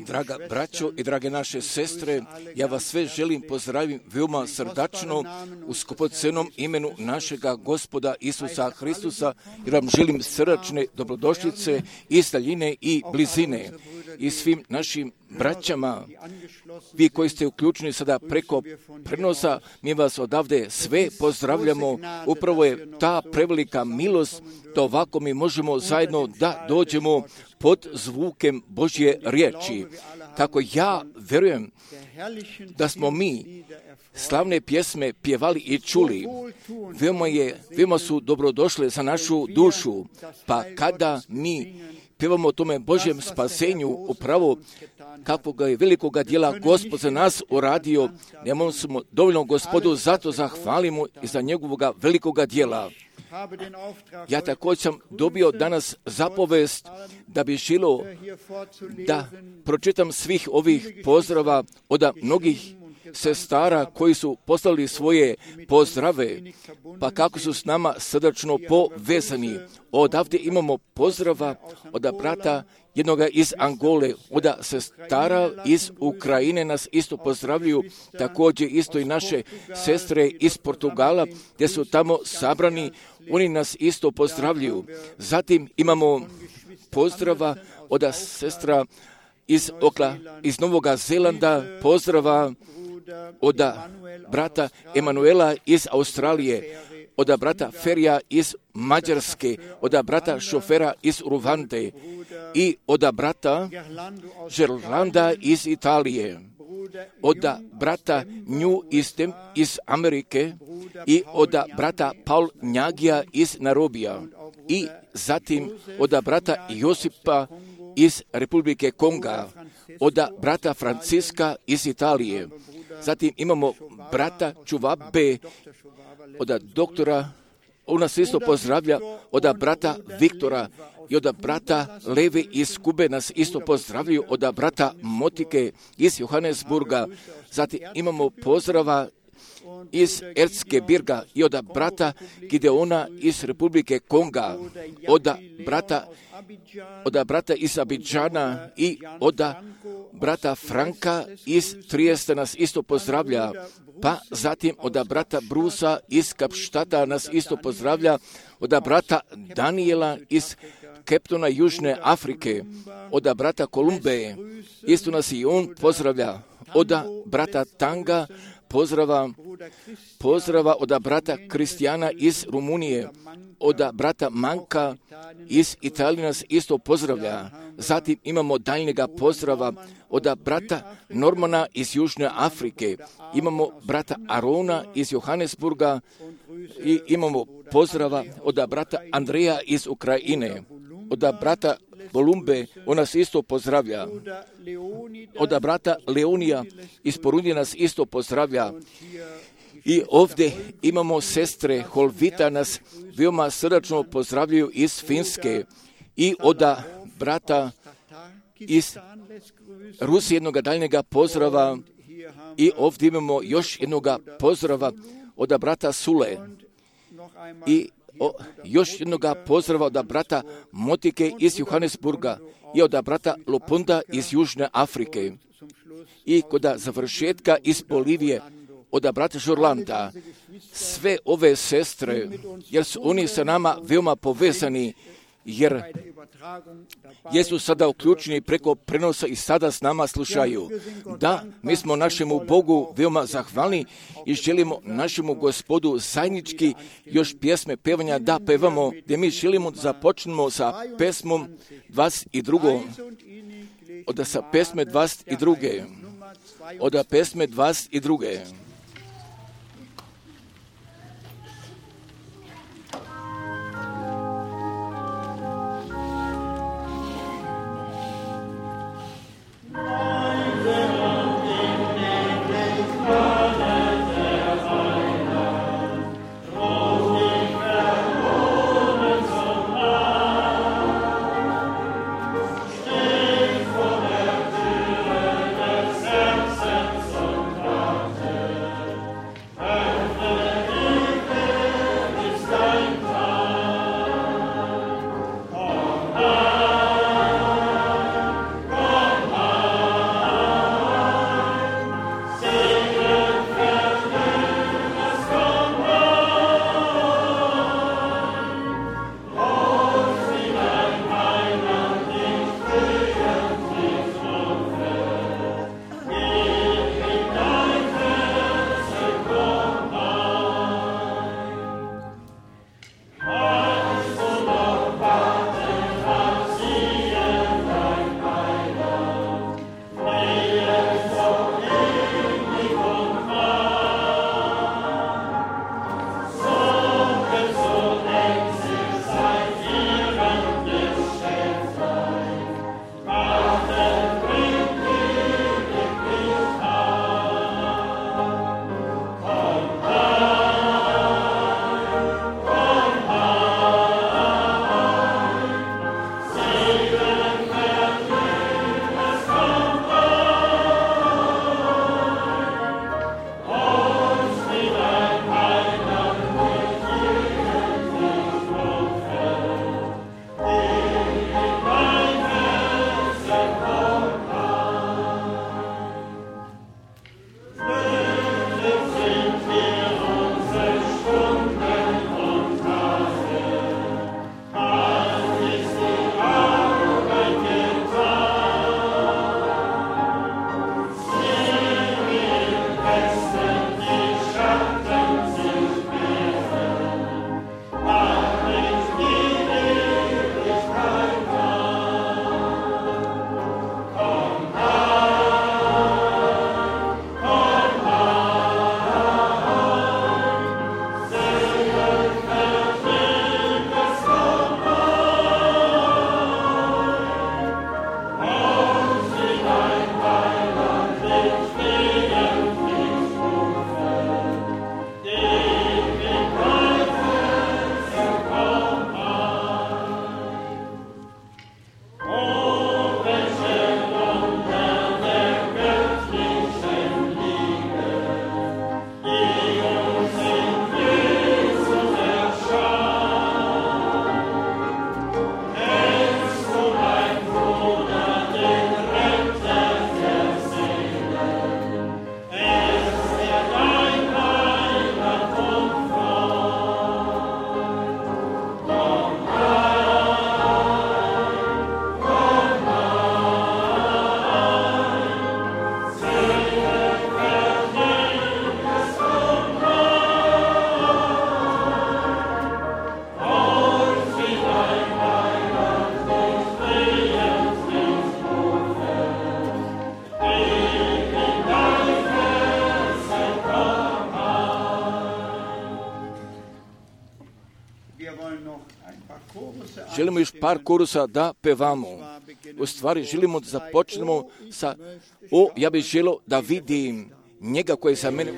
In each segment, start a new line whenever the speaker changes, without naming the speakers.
Draga braćo i drage naše sestre, ja vas sve želim pozdraviti veoma srdačno u skupocenom imenu našega Gospoda Isusa Hristusa, jer vam želim srdačne dobrodošlice iz daljine i blizine. I svim našim braćama, vi koji ste uključeni sada preko prenosa, mi vas odavde sve pozdravljamo. Upravo je ta prevelika milost da ovako mi možemo zajedno da dođemo pod zvukem Božje riječi. Kako ja verujem da smo mi slavne pjesme pjevali i čuli, veoma su dobrodošle za našu dušu, pa kada mi pjevamo o tome Božjem spasenju, upravo kakvog je velikoga djela Gospod za nas uradio, nemamo smo dovoljno Gospodu, zato zahvalimo i za njegovoga velikoga djela. Ja također sam dobio danas zapovest da bi želio da pročitam svih ovih pozdrava od mnogih sestara koji su poslali svoje pozdrave, pa kako su s nama srdačno povezani. Odavde imamo pozdrava od brata jednoga iz Angole, od sestara iz Ukrajine nas isto pozdravljaju, također isto i naše sestre iz Portugala, gdje su tamo sabrani, oni nas isto pozdravljaju. Zatim imamo pozdrava od sestra iz Novoga Zelanda, pozdrava od brata Emanuela iz Australije, od brata Ferija iz Mađarske, od brata Šofera iz Ruvande i od brata Gerlanda iz Italije, od brata Nju iz Amerike i od brata Paul Njagija iz Narobija i zatim od brata Josipa iz Republike Konga, od brata Franciska iz Italije. Zatim imamo brata Čuvabe, od doktora, on nas isto pozdravlja, od brata Viktora i od brata Levi iz Kube nas isto pozdravljaju, od brata Motike iz Johannesburga. Zatim imamo pozdrava iz Erzgebirga i od brata Gideona iz Republike Konga, od brata iz Abidžana i od brata Franka iz Trijesta nas isto pozdravlja, pa zatim od brata Brusa iz Kapštata nas isto pozdravlja, od brata Daniela iz Keptona Južne Afrike, od brata Kolumbe isto nas i on pozdravlja, od brata Tanga pozdrava od brata Kristijana iz Rumunije, od brata Manka iz Italije nas isto pozdravlja. Zatim imamo daljnjega pozdrava od brata Normana iz Južne Afrike, imamo brata Arona iz Johannesburga i imamo pozdrava od brata Andreja iz Ukrajine, od brata Bolumbe, on nas isto pozdravlja. Od brata Leonija iz Porundije nas isto pozdravlja. I ovdje imamo sestre Holvita nas veoma srdačno pozdravljaju iz Finske i od brata iz Rusije jednoga daljnjega pozdrava i ovdje imamo još jednoga pozdrava od brata Sule i još jednoga pozdrava od brata Motike iz Johannesburga i od brata Lopunda iz Južne Afrike i kod završetka iz Bolivije od brata Žorlanda. Sve ove sestre, jer su oni sa nama veoma povezani, jer jesu sada uključeni preko prenosa i sada s nama slušaju. Da, mi smo našemu Bogu veoma zahvalni i želimo našemu Gospodu zajednički još pjesme pevanja da pevamo, gdje mi želimo započnemo sa pesmom 22. Od sa pesme 22. Od pesme 22.
Herzens und Warte.
Želimo još par korusa da pevamo. U stvari želimo da započnemo sa ja bih želio da vidim njega koji sa mene.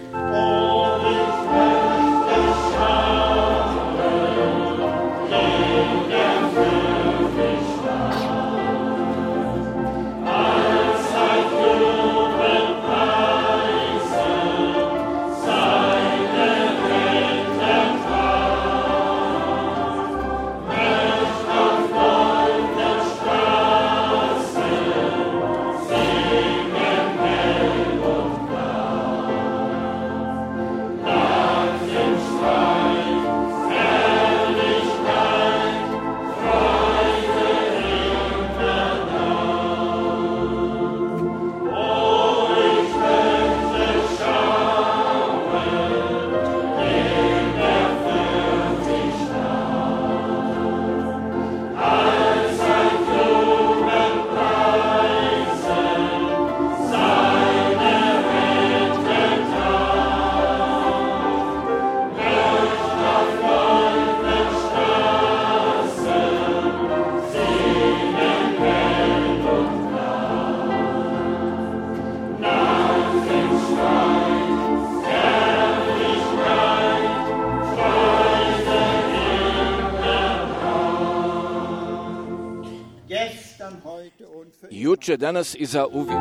Juče, danas i za uvijek.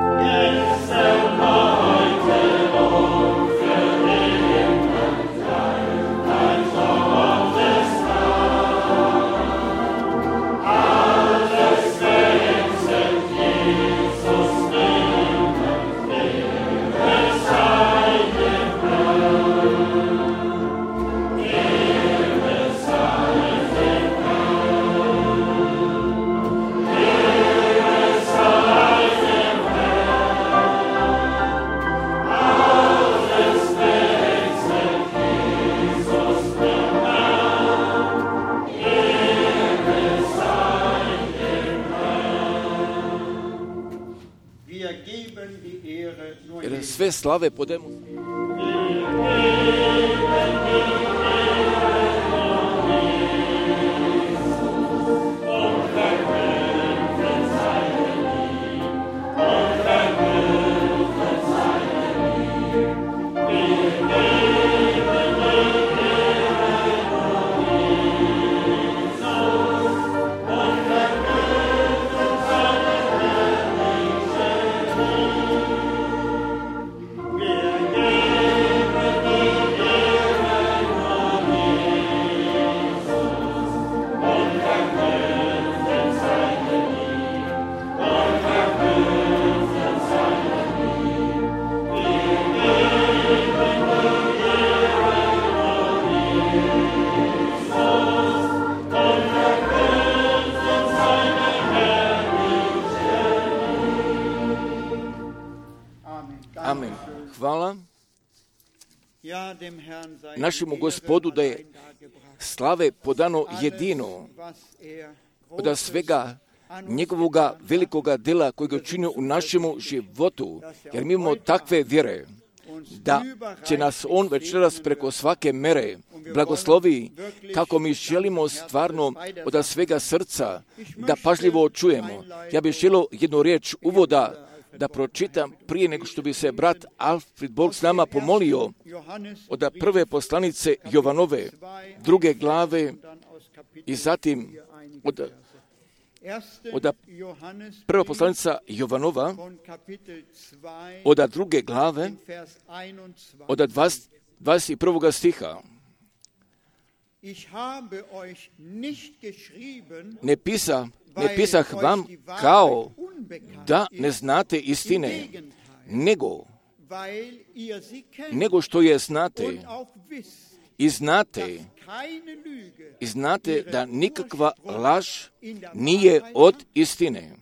Sve slave podemo. Amen. Hvala našemu Gospodu da je slave podano jedino od svega njegovoga velikoga dela kojeg je učinio u našemu životu, jer mi imamo takve vjere da će nas on večeras preko svake mere blagoslovi, kako mi želimo stvarno od svega srca da pažljivo čujemo. Ja bih želio jednu riječ uvoda da pročitam prije nego što bi se brat Alfred Bog s nama pomolio od prve poslanice Jovanove, 2. glave i zatim od prva poslanica Jovanova od 2. glave od 21. stiha. Ne pisah vam kao da ne znate istine, nego što je znate i znate da nikakva laž nije od istine.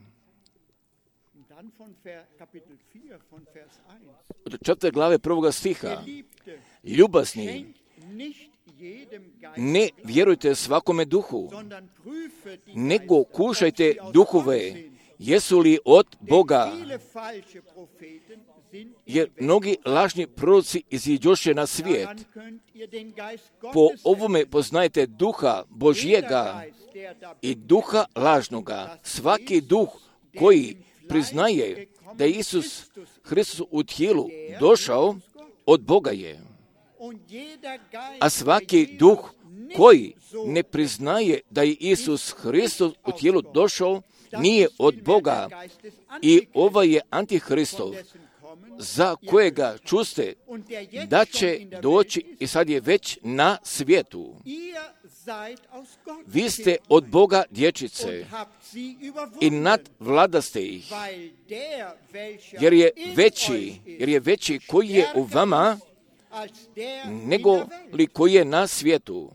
Od 4. glave 1. stiha. Ljubazni, ne vjerujte svakome duhu, nego kušajte duhove, jesu li od Boga, jer mnogi lažni proroci iziđoše na svijet. Po ovome poznajete duha Božjega i duha lažnoga. Svaki duh koji priznaje da je Isus Hristos u tijelu došao, od Boga je. A svaki duh koji ne priznaje da je Isus Hristos u tijelu došao, nije od Boga. I ovaj je Antihristov, za kojega čuste da će doći i sad je već na svijetu. Vi ste od Boga dječice i nadvladaste ih, jer je veći koji je u vama nego li koji je na svijetu.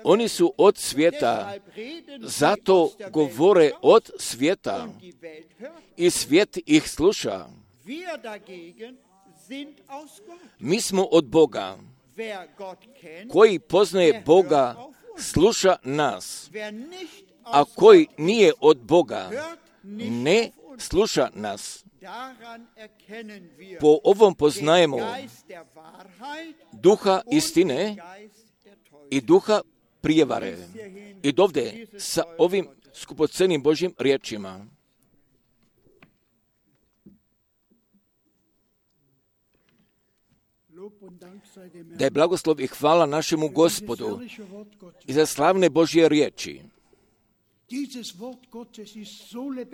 Oni su od svijeta, zato govore od svijeta i svijet ih sluša. Mi smo od Boga. Koji poznaje Boga, sluša nas, a koji nije od Boga, ne sluša nas. Po ovom poznajemo duha istine i duha prijevare. I dovde sa ovim skupocenim Božjim riječima. Da je blagoslov i hvala našemu Gospodu i za slavne Božje riječi.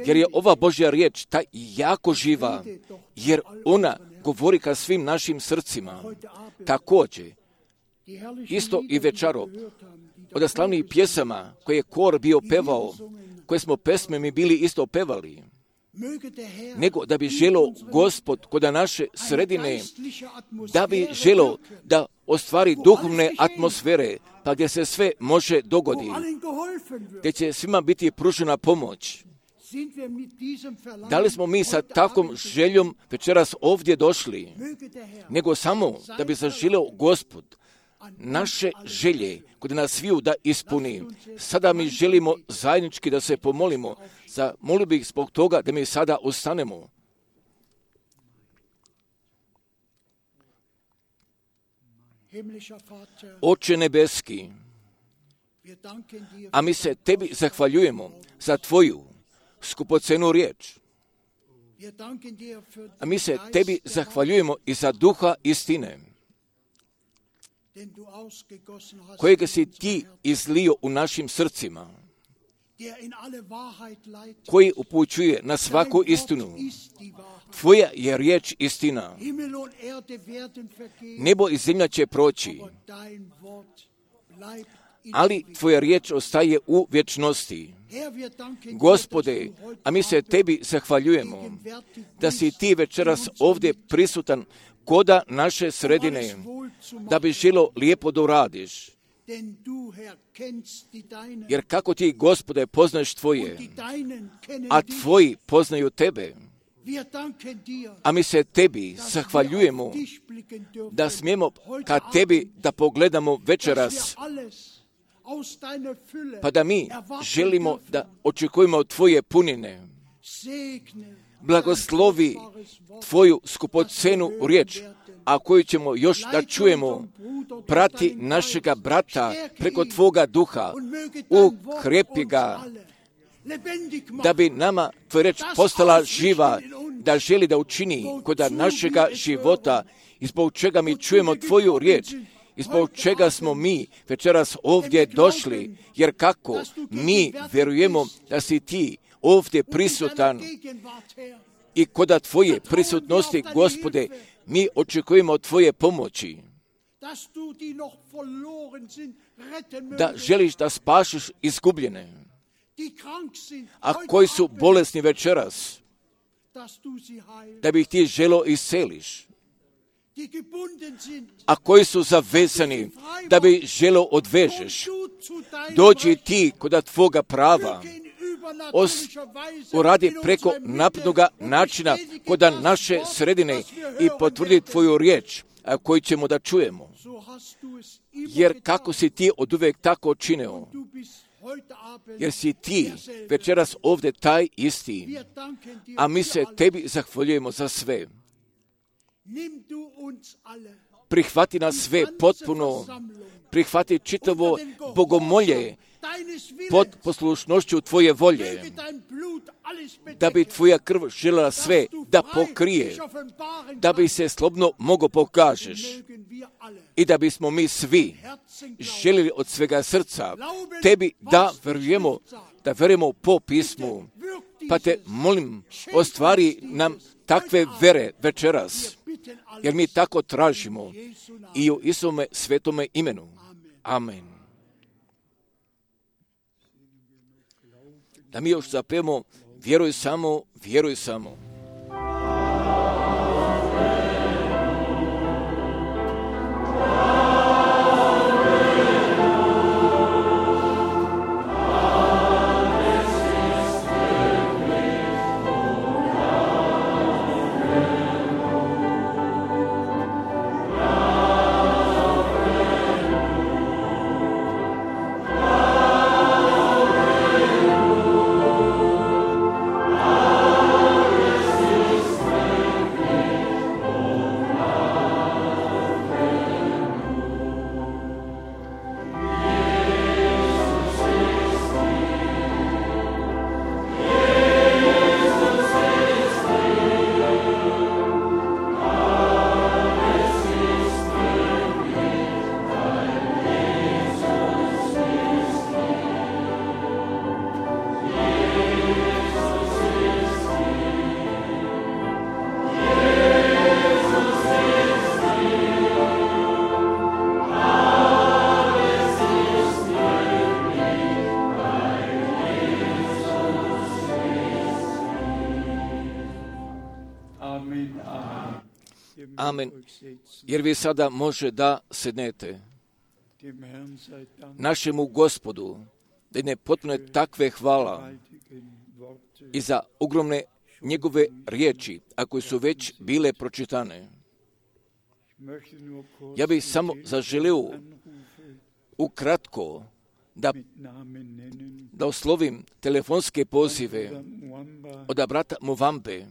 Jer je ova Božja riječ ta jako živa, jer ona govori ka svim našim srcima. Također, isto i večero, od slavnih pjesama koje je kor bio pevao, koje smo pesme mi bili isto pevali, nego da bi želo Gospod kod naše sredine, da bi želo da ostvari duhovne atmosfere, pa gdje se sve može dogoditi, gdje će svima biti pružena pomoć. Da li smo mi sa takvom željom večeras ovdje došli, nego samo da bi zaželio Gospod naše želje kod nas sviju da ispuni. Sada mi želimo zajednički da se pomolimo. Molio bih zbog toga da mi sada ostanemo. Oče nebeski, a mi se tebi zahvaljujemo za tvoju skupocenu riječ. A mi se tebi zahvaljujemo i za duha istine, kojega si ti izlio u našim srcima, koji upućuje na svaku istinu. Tvoja je riječ istina. Nebo i zemlja će proći, ali tvoja riječ ostaje u vječnosti. Gospode, a mi se tebi zahvaljujemo da si ti večeras ovdje prisutan koda naše sredine, da bi želo lijepo da uradiš. Jer kako ti, Gospode, poznaješ tvoje, a tvoji poznaju tebe. A mi se tebi zahvaljujemo da smijemo ka tebi da pogledamo večeras, pa da mi želimo da očekujemo tvoje punine. Blagoslovi tvoju skupocenu riječ, a koju ćemo još da čujemo, prati našega brata preko tvoga duha, ukrepi ga, da bi nama tvoja riječ postala živa, da želi da učini kod našega života, i zbog čega mi čujemo tvoju riječ, i zbog čega smo mi večeras ovdje došli, jer kako mi vjerujemo da si ti ovdje prisutan i kod tvoje prisutnosti, Gospode, mi očekujemo tvoje pomoći, da želiš da spašiš izgubljene, a koji su bolesni večeras, da bi ih ti želo isceliš, a koji su zavezani, da bi želo odvežeš. Dođi ti kod tvoga prava, uradi preko naprednoga načina kod naše sredine i potvrdi tvoju riječ, koju ćemo da čujemo. Jer kako si ti oduvijek tako činio, jer si ti večeras ovdje taj isti, a mi se tebi zahvaljujemo za sve. Prihvati nas sve potpuno, prihvati čitavo bogomolje pod poslušnošću tvoje volje, da bi tvoja krv željela sve da pokrije, da bi se slobodno mogo pokažeš i da bismo mi svi željeli od svega srca tebi da verujemo po pismu. Pa te molim, ostvari nam takve vere večeras, jer mi tako tražimo i u Isuvome svetome imenu. Amen. Da mi još zapevamo, vjeruj samo, vjeruj samo. Amen. Jer vi sada može da sednete. Našemu Gospodu da ne potpune takve hvala i za ogromne njegove riječi, a koje su već bile pročitane. Ja bih samo zaželio ukratko da oslovim telefonske pozive od brata Muvambe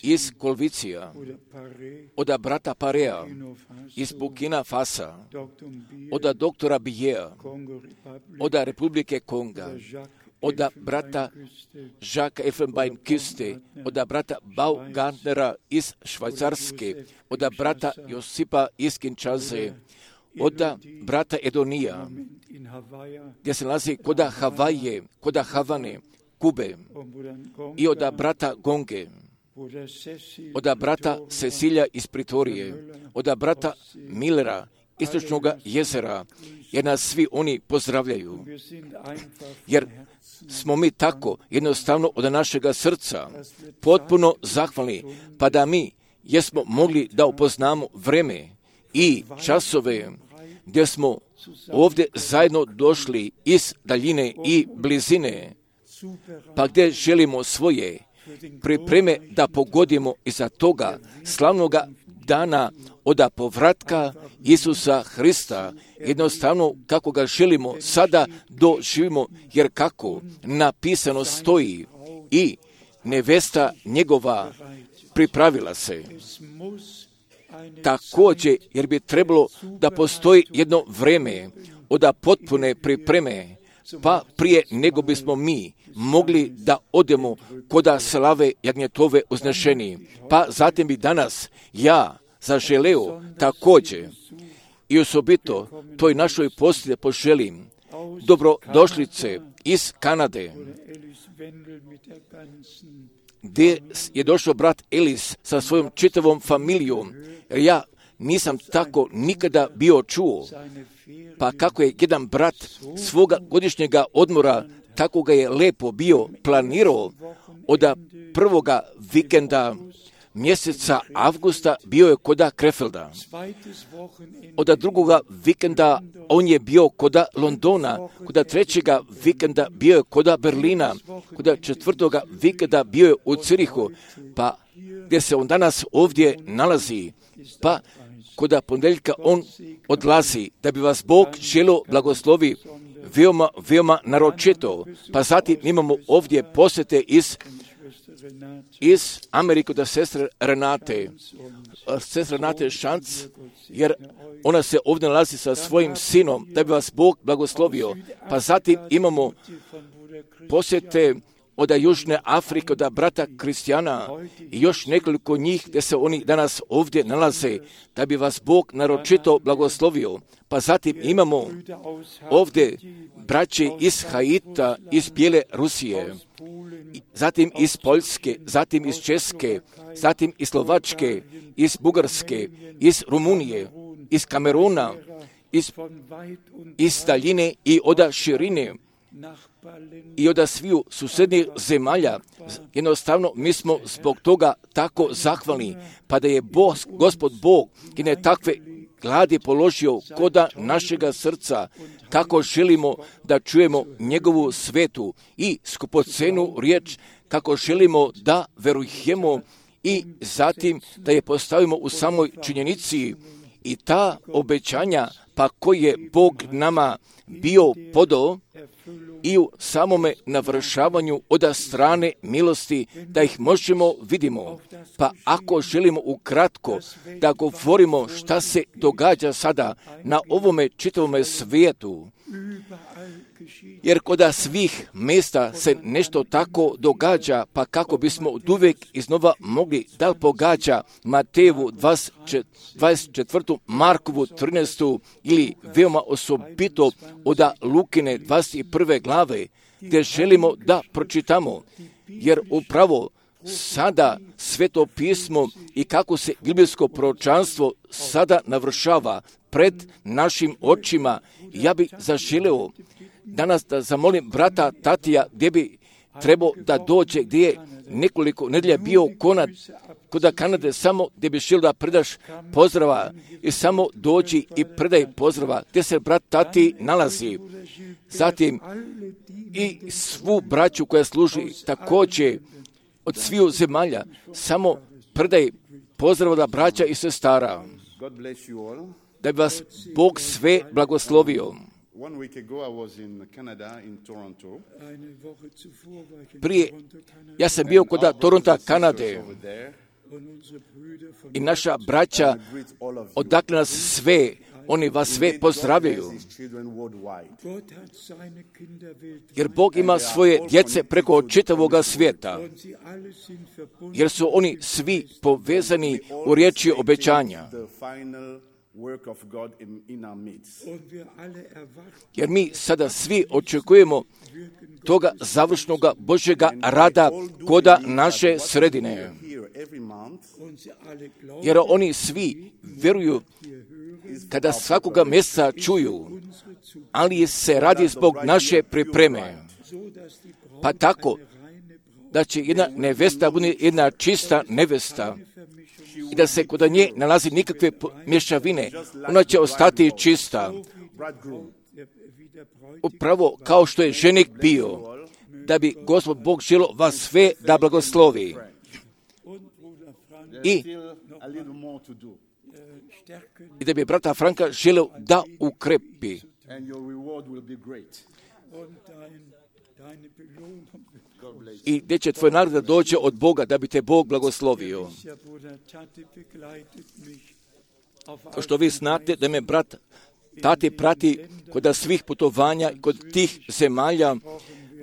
iz Kolvicija, od brata Parea iz Burkina Fasa, od doktora Bijea, od Republike Konga, od brata Jacques Elfenbein-Küste, od brata Baumgartnera iz Švajcarske, od brata Josipa iz Kinshase, od brata Edonija, gdje se nalazi kod Havaje, kod Havane, Kube, i od brata Gonge, od brata Cecilija iz Pritorije, od brata Millera, Istočnog jezera, jer nas svi oni pozdravljaju. Jer smo mi tako jednostavno od našega srca potpuno zahvalni, pa da mi jesmo mogli da upoznamo vreme i časove gdje smo ovdje zajedno došli iz daljine i blizine, pa gdje želimo svoje pripreme da pogodimo iza toga slavnoga dana od povratka Isusa Hrista, jednostavno kako ga želimo sada doživimo, jer kako napisano stoji i nevesta njegova pripravila se. Također, jer bi trebalo da postoji jedno vreme od potpune pripreme, pa prije nego bismo mi mogli da odemo koda slave jagnjetove uznešeni. Pa zatim bi danas ja zaželeo također i osobito toj našoj postelji poželim dobrodošlice iz Kanade, gdje je došao brat Elis sa svojom čitavom familijom. Ja nisam tako nikada bio čuo, pa kako je jedan brat svoga godišnjega odmora, tako ga je lepo bio planirao od prvoga vikenda mjeseca avgusta bio je koda Krefelda. Od drugoga vikenda on je bio koda Londona, koda trećega vikenda bio je koda Berlina, koda četvrtoga vikenda bio je u Cirihu, pa gdje se on danas ovdje nalazi, pa koda ponedjeljka on odlazi, da bi vas Bog želo blagoslovi veoma naročito. Pa zatim imamo ovdje posjete iz Amerike da sestre Renate Šanc, jer ona se ovdje nalazi sa svojim sinom, da bi vas Bog blagoslovio. Pa zatim imamo posjete od Južne Afrike, od brata Kristijana i još nekoliko njih gdje se oni danas ovdje nalaze, da bi vas Bog naročito blagoslovio. Pa zatim imamo ovdje braće iz Haita, iz Bijele Rusije, zatim iz Poljske, zatim iz Česke, zatim iz Slovačke, iz Bugarske, iz Rumunije, iz Kameruna, iz daljine i od širine i od sviju susjednih zemalja. Jednostavno, mi smo zbog toga tako zahvalni, pa da je Gospod Bog i ne takve gladi položio koda našega srca, kako želimo da čujemo njegovu svetu i skupocenu riječ, kako želimo da verujemo i zatim da je postavimo u samoj činjenici i ta obećanja, pa koji je Bog nama bio podao i u samome navršavanju od strane milosti, da ih možemo vidimo. Pa ako želimo ukratko da govorimo šta se događa sada na ovome čitavome svijetu, jer kod svih mjesta se nešto tako događa, pa kako bismo oduvijek iznova mogli da pogađa Matejevu 24. Markovu 13. ili veoma osobito od Lukine 21. glave, gdje želimo da pročitamo, jer upravo sada Sveto pismo i kako se biblijsko proročanstvo sada navršava pred našim očima. Ja bih zaželeo danas da zamolim brata Tatija, gdje bi trebao da dođe, gdje je nekoliko nedelja bio kod Kanade, samo gdje bi želio da predaš pozdrava i samo dođi i predaj pozdrava gdje se brat Tati nalazi. Zatim i svu braću koja služi također od sviju zemalja, samo predaj pozdrava da braća i sestara, da bi vas Bog sve blagoslovio. Prije, ja sam bio kod Toronta, Kanade, i naša braća, odakle nas sve, oni vas sve pozdravljaju. Jer Bog ima svoje djece preko čitavoga svijeta, jer su oni svi povezani u riječi obećanja. Jer mi sada svi očekujemo toga završnog Božjega rada koda naše sredine. Jer oni svi vjeruju kada svakoga mjeseca čuju, ali se radi zbog naše pripreme. Pa tako da će jedna nevesta bude jedna čista nevesta i da se kod nje nalazi nikakve mješavine, ona će ostati čista. Upravo kao što je ženik bio, da bi Gospod Bog želio vas sve da blagoslovi. I da bi brata Franka želio da ukrepi. I gdje će tvoj nagrada doći od Boga, da bi te Bog blagoslovio. Kao što vi znate da me brat Tati prati kod svih putovanja, kod tih zemalja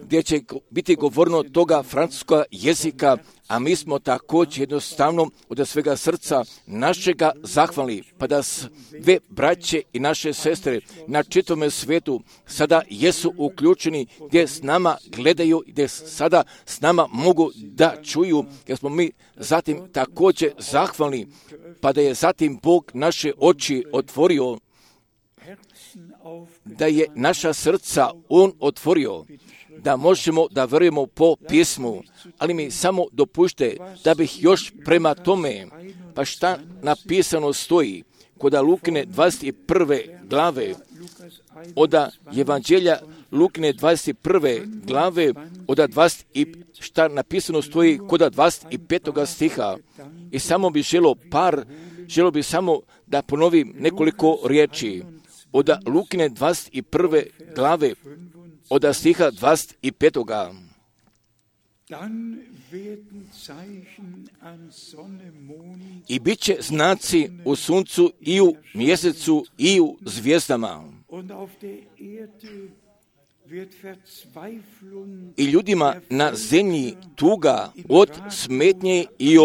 gdje će biti govorno toga francuskog jezika, a mi smo također jednostavno od svega srca našega zahvalni, pa da sve braće i naše sestre na čitavome svijetu sada jesu uključeni, gdje s nama gledaju, gdje sada s nama mogu da čuju, jer smo mi zatim također zahvalni, pa da je zatim Bog naše oči otvorio, da je naša srca On otvorio, da možemo da verujemo po pismu, ali mi samo dopušte da bih još prema tome, pa šta napisano stoji kod Lukine 21. glave, od Evanđelja Lukine 21. glave, od 20, šta napisano stoji kod 25. stiha. I samo bi želio samo da ponovim nekoliko riječi. od Lukine 21. glave, od stiha 25. I bit će znaci u suncu i u mjesecu i u zvijezdama. I ljudima na zemlji tuga od smetnje i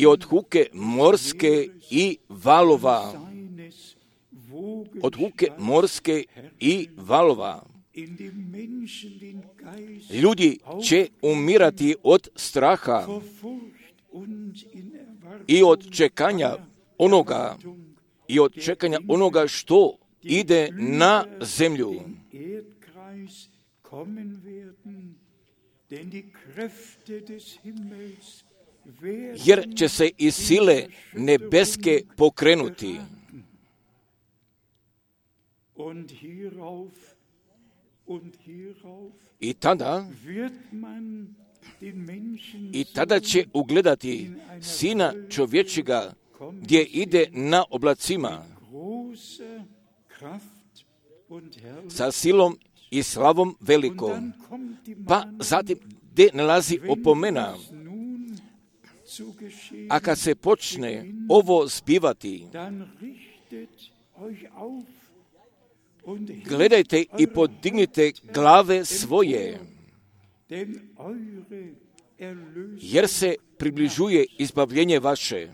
od huke morske i valova. Od huke morske i valova. Ljudi će umirati od straha i od čekanja onoga što ide na zemlju. Jer će se i sile nebeske pokrenuti. I tada će ugledati Sina čovječjega gdje ide na oblacima sa silom i slavom velikom. Pa zatim gdje nalazi opomena. A kad se počne ovo zbivati, gledajte i podignite glave svoje, jer se približuje izbavljenje vaše.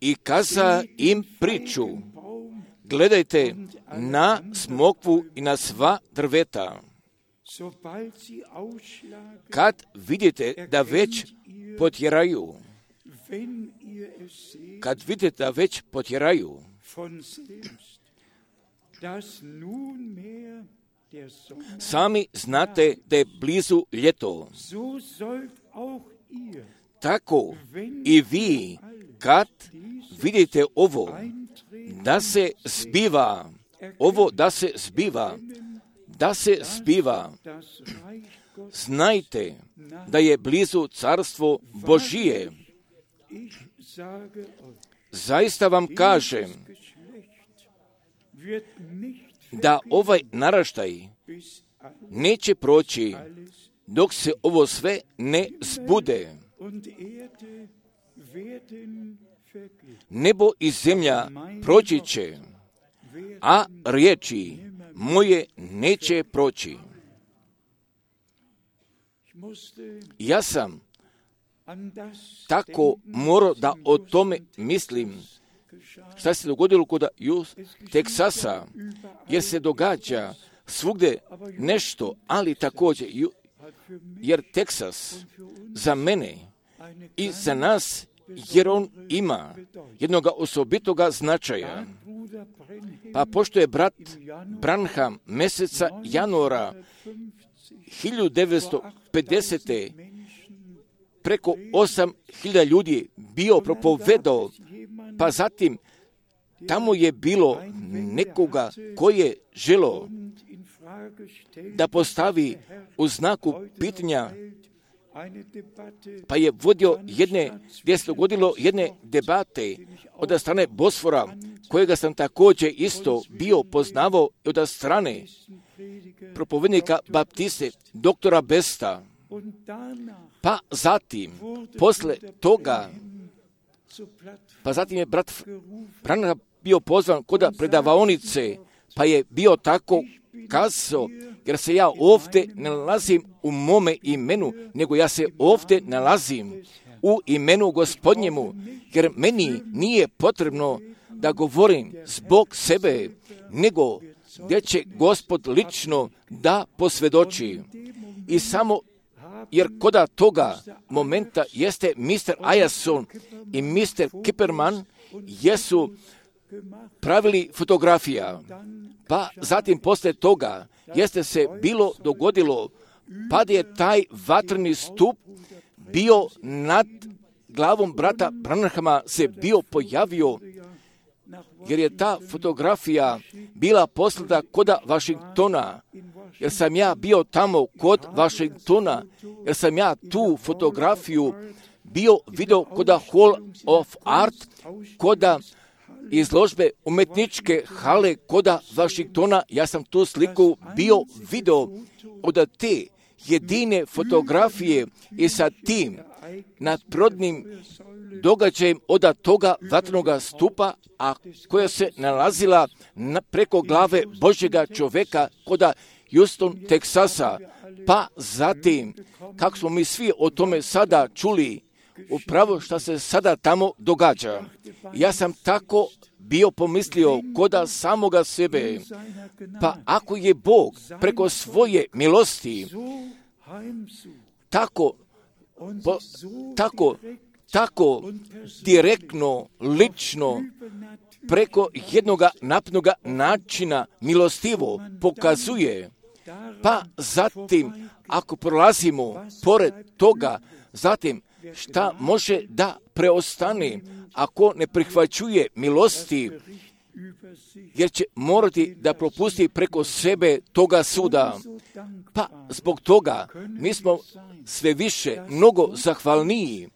I kaza im priču, gledajte na smokvu i na sva drveta. Kad vidite da već potjeraju, sami znate da je blizu ljeto. Tako i vi, kad vidite ovo, da se zbiva, znajte da je blizu carstvo Božije. Zaista vam kažem da ovaj naraštaj neće proći dok se ovo sve ne zbude. Nebo i zemlja proći će, a riječi moje neće proći. Ja sam tako morao da o tome mislim. Šta se dogodilo kod Teksasa, jer se događa svugdje nešto, ali također, jer Teksas za mene i za nas, jer on ima jednog osobitoga značaja. Pa pošto je brat Branham mjeseca januara 1950. preko 8.000 ljudi bio propovedao, pa zatim tamo je bilo nekoga koji je želio da postavi u znaku pitanja, pa je vodio gdje se dogodilo jedne debate od strane Bosfora, kojega sam također isto bio poznavao od strane propovednika Baptiste, doktora Besta. Pa zatim, posle toga, je brat Branham bio pozvan kod predavaonice, pa je bio tako kazao, jer se ja ovdje ne nalazim u mome imenu, nego ja se ovdje nalazim u imenu Gospodnjemu, jer meni nije potrebno da govorim zbog sebe, nego gdje će Gospod lično da posvjedoči. I samo jer koda toga momenta jeste Mr. Ayason i Mr. Kipperman jesu pravili fotografija. Pa zatim poslije toga jeste se bilo dogodilo, pa je taj vatreni stup bio nad glavom brata Branhama se bio pojavio, jer je ta fotografija bila poslata koda Washingtona, jer sam ja bio tamo kod Washingtona, jer sam ja tu fotografiju bio video kod Hall of Art, kod izložbe umetničke hale kod Washingtona. Ja sam tu sliku bio video od te jedine fotografije i sa tim nadprirodnim događajem od toga vatrenog stupa, a koja se nalazila preko glave Božjega čovjeka kod Houston, Teksasa. Pa zatim, kako smo mi svi o tome sada čuli, upravo što se sada tamo događa. Ja sam tako bio pomislio kod samoga sebe, pa ako je Bog preko svoje milosti tako direktno, lično, preko jednoga napnoga načina milostivo pokazuje, pa zatim ako prolazimo pored toga, zatim šta može da preostane ako ne prihvaćuje milosti, jer će morati da propusti preko sebe toga suda. Pa zbog toga mi smo sve više mnogo zahvalniji,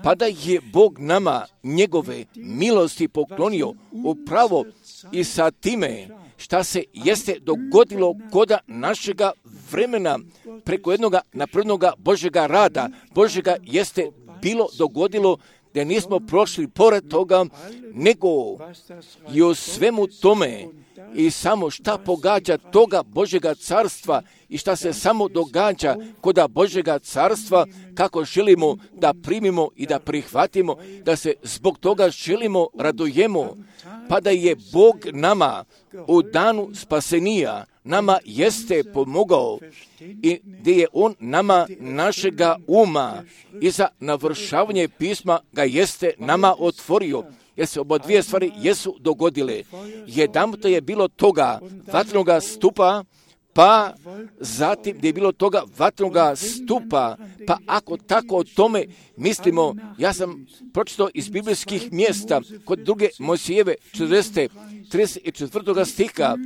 pa da je Bog nama njegove milosti poklonio upravo i sa time šta se jeste dogodilo kod našega vremena preko jednoga naprednoga Božjega rada. Božjega jeste bilo dogodilo da nismo prošli pored toga, nego i u svemu tome i samo šta pogađa toga Božjega carstva i šta se samo događa kod Božjega carstva, kako želimo da primimo i da prihvatimo, da se zbog toga želimo radujemo, pa da je Bog nama u danu spasenija nama jeste pomogao i gdje je On nama našega uma i za navršavanje pisma ga jeste nama otvorio, jer se oba dvije stvari jesu dogodile. Jedanput je bilo toga vatrenoga stupa, pa zatim gdje je bilo toga vatrenoga stupa, pa ako tako o tome mislimo, ja sam pročitao iz biblijskih mjesta kod druge Mojsijeve 34. stiha,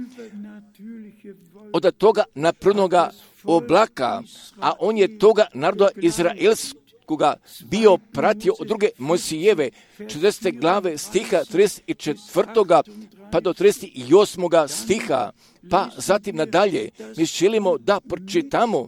od toga naprednoga oblaka, a on je toga naroda izraelskoga bio pratio od druge Mojsijeve 40. glave stiha 34. pa do 38. stiha, pa zatim nadalje mi želimo da pročitamo,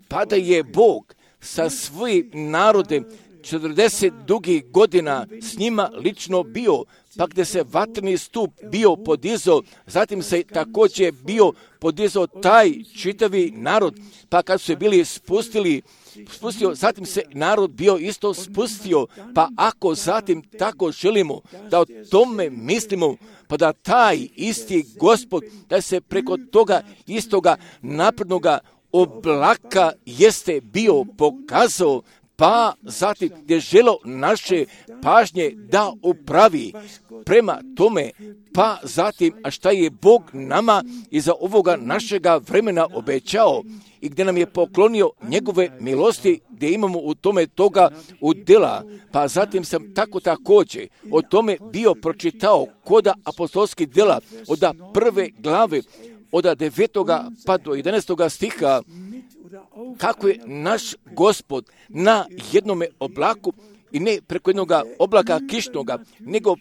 pa da je Bog sa svojim narodem 40 dugih godina s njima lično bio, pa gdje se vatreni stup bio podizao, zatim se također bio podizao taj čitavi narod, pa kad su se bili spustio, zatim se narod bio isto spustio, pa ako zatim tako želimo da o tome mislimo, pa da taj isti Gospod, da se preko toga istoga naprednoga oblaka jeste bio pokazao, pa zatim gdje želo naše pažnje da upravi prema tome, pa zatim a šta je Bog nama iza ovoga našega vremena obećao i gdje nam je poklonio njegove milosti, gdje imamo u tome toga udjela. Pa zatim sam također o tome bio pročitao kod apostolskih djela od prve glave od 9. pa do 11. stiha, kako je naš Gospod na jednome oblaku i ne preko jednog oblaka kišnoga, nego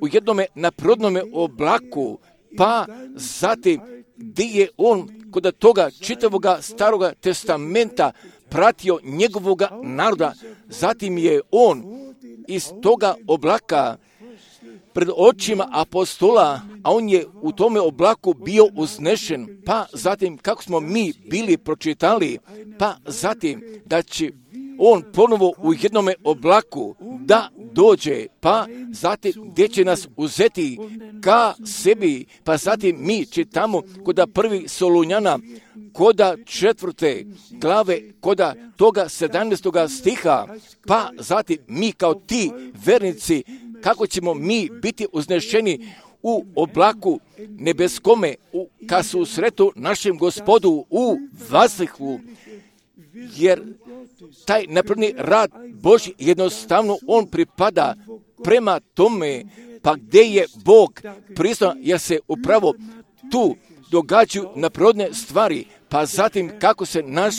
u jednome naprodnome oblaku, pa zatim gdje je on kod toga čitavoga staroga testamenta pratio njegovoga naroda, zatim je on iz toga oblaka pred očima apostola, a on je u tome oblaku bio uznešen, pa zatim kako smo mi bili pročitali, pa zatim da će on ponovo u jednome oblaku da dođe, pa zatim gdje će nas uzeti ka sebi, pa zatim mi čitamo kod prvi Solunjana, kod 4. glave, kod toga 17. stiha, pa zatim mi kao ti vernici, kako ćemo mi biti uznešeni u oblaku nebeskome, ka susretu našem Gospodu u vazduhu, jer taj napredni rad Božji jednostavno on pripada prema tome, pa gdje je Bog priznao, jer se upravo tu događaju neprirodne stvari, pa zatim kako se naš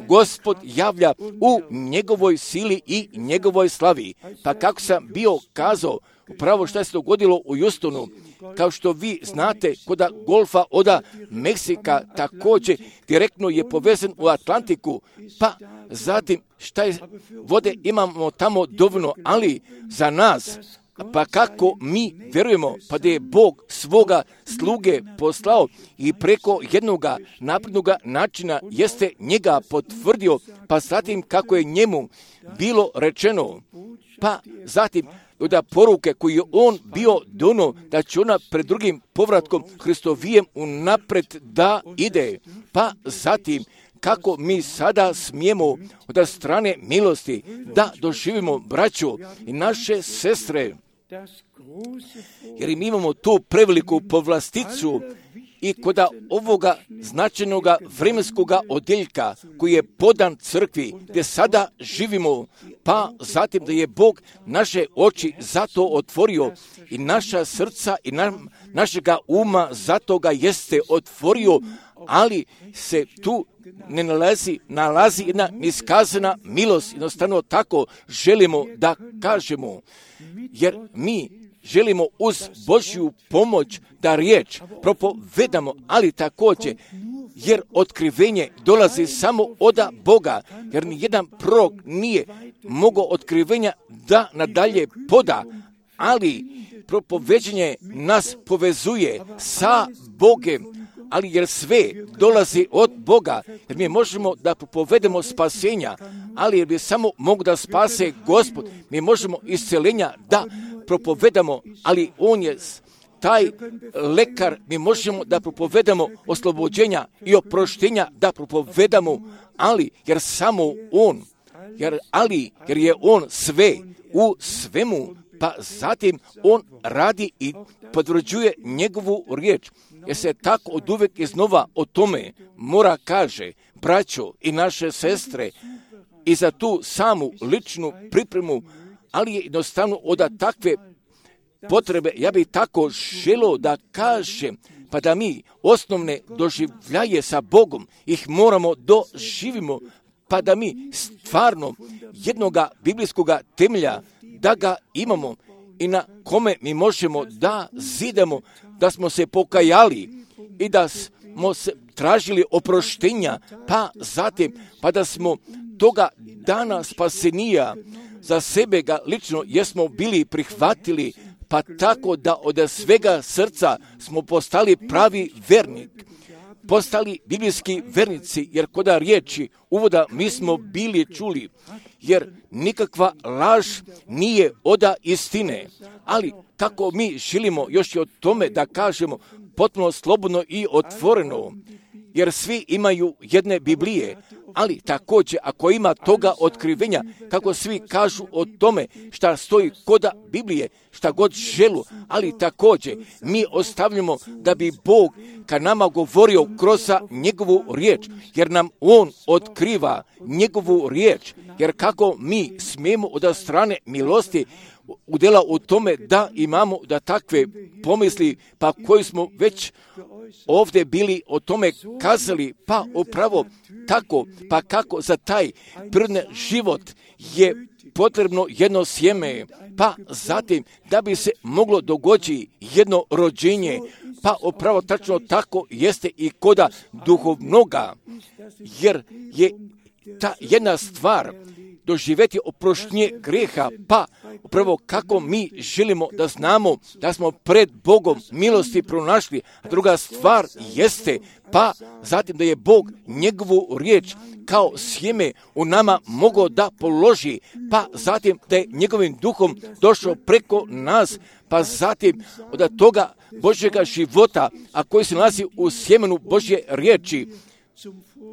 Gospod javlja u njegovoj sili i njegovoj slavi. Pa kako sam bio kazao, upravo što se dogodilo u Houstonu, kao što vi znate, kod golfa od Meksika također direktno je povezan u Atlantiku, pa zatim šta je vode imamo tamo dovoljno, ali za nas, pa kako mi vjerujemo, pa da je Bog svoga sluge poslao i preko jednoga naprednoga načina jeste njega potvrdio, pa zatim kako je njemu bilo rečeno, pa zatim da poruke koje je on bio dono, da će ona pred drugim povratkom Hristovijem unapred da ide, pa zatim kako mi sada smijemo od strane milosti da doživimo braću i naše sestre, jer mi imamo tu preveliku povlasticu i kod ovoga značajnog vremenskog odjeljka koji je podan crkvi gdje sada živimo, pa zatim da je Bog naše oči zato otvorio i naša srca i našega uma zato ga jeste otvorio, ali se tu ne nalazi jedna iskazana milost, jednostavno tako želimo da kažemo, jer mi želimo uz Božju pomoć da riječ propovedamo, ali također jer otkrivenje dolazi samo od Boga, jer nijedan prorok nije mogao otkrivenja da nadalje poda, ali propoveđenje nas povezuje sa Bogem, ali jer sve dolazi od Boga, jer mi možemo da propovedemo spasenja, ali jer bi samo mogu da spase Gospod, mi možemo isceljenja da propovedamo, ali on je taj lekar, mi možemo da propovedamo oslobođenja i oproštenja da propovedamo, ali jer samo on, jer je on sve u svemu, pa zatim on radi i potvrđuje njegovu riječ. Jer se tako od uvek iznova o tome mora kaže, braćo i naše sestre, i za tu samu ličnu pripremu, ali je jednostavno od takve potrebe, ja bih tako želio da kažem, pa da mi osnovne doživljaje sa Bogom ih moramo doživimo, pa da mi stvarno jednoga biblijskoga temelja da ga imamo i na kome mi možemo da zidamo, da smo se pokajali i da smo se tražili oproštenja, pa zatim, pa da smo toga dana spasenija za sebe ga lično jesmo bili prihvatili, pa tako da od svega srca smo postali pravi vernik, postali biblijski vernici, jer kod riječi uvoda mi smo bili čuli, jer nikakva laž nije od istine, ali kako mi želimo još i o tome da kažemo potpuno slobodno i otvoreno, jer svi imaju jedne Biblije, ali također ako ima toga otkrivenja, kako svi kažu o tome šta stoji kod Biblije, šta god želu, ali također mi ostavljamo da bi Bog ka nama govorio kroz njegovu riječ, jer nam on otkriva njegovu riječ, jer kako mi smijemo od strane milosti udjela u tome da imamo da takve pomisli, pa koji smo već ovdje bili o tome kazali, pa upravo tako, pa kako za taj prirodni život je potrebno jedno sjeme, pa zatim da bi se moglo dogoditi jedno rođenje, pa upravo tačno tako jeste i koda duhovnoga, jer je ta jedna stvar doživjeti oproštenje grijeha, pa upravo kako mi želimo da znamo da smo pred Bogom milosti pronašli, a druga stvar jeste, pa zatim da je Bog njegovu riječ kao sjeme u nama mogao da položi, pa zatim da je njegovim duhom došao preko nas, pa zatim od toga Božjega života, a koji se nalazi u sjemenu Božje riječi,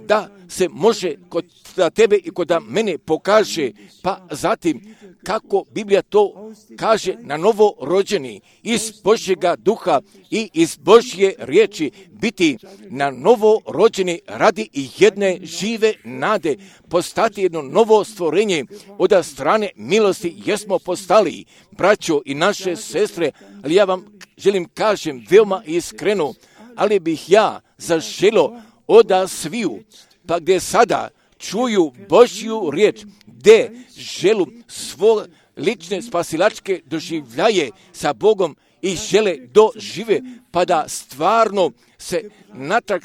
da se može kod tebe i kod mene pokaže, pa zatim kako Biblija to kaže na novo rođeni iz Božjega duha i iz Božje riječi biti na novo rođeni radi i jedne žive nade, postati jedno novo stvorenje od strane milosti jesmo postali, braćo i naše sestre, ali ja vam želim kažem veoma iskreno, ali bih ja zaželo oda sviju, pa gdje sada čuju Božju riječ, gdje želu svoj lične spasilačke doživljaje sa Bogom i žele dožive, pa da stvarno se natrag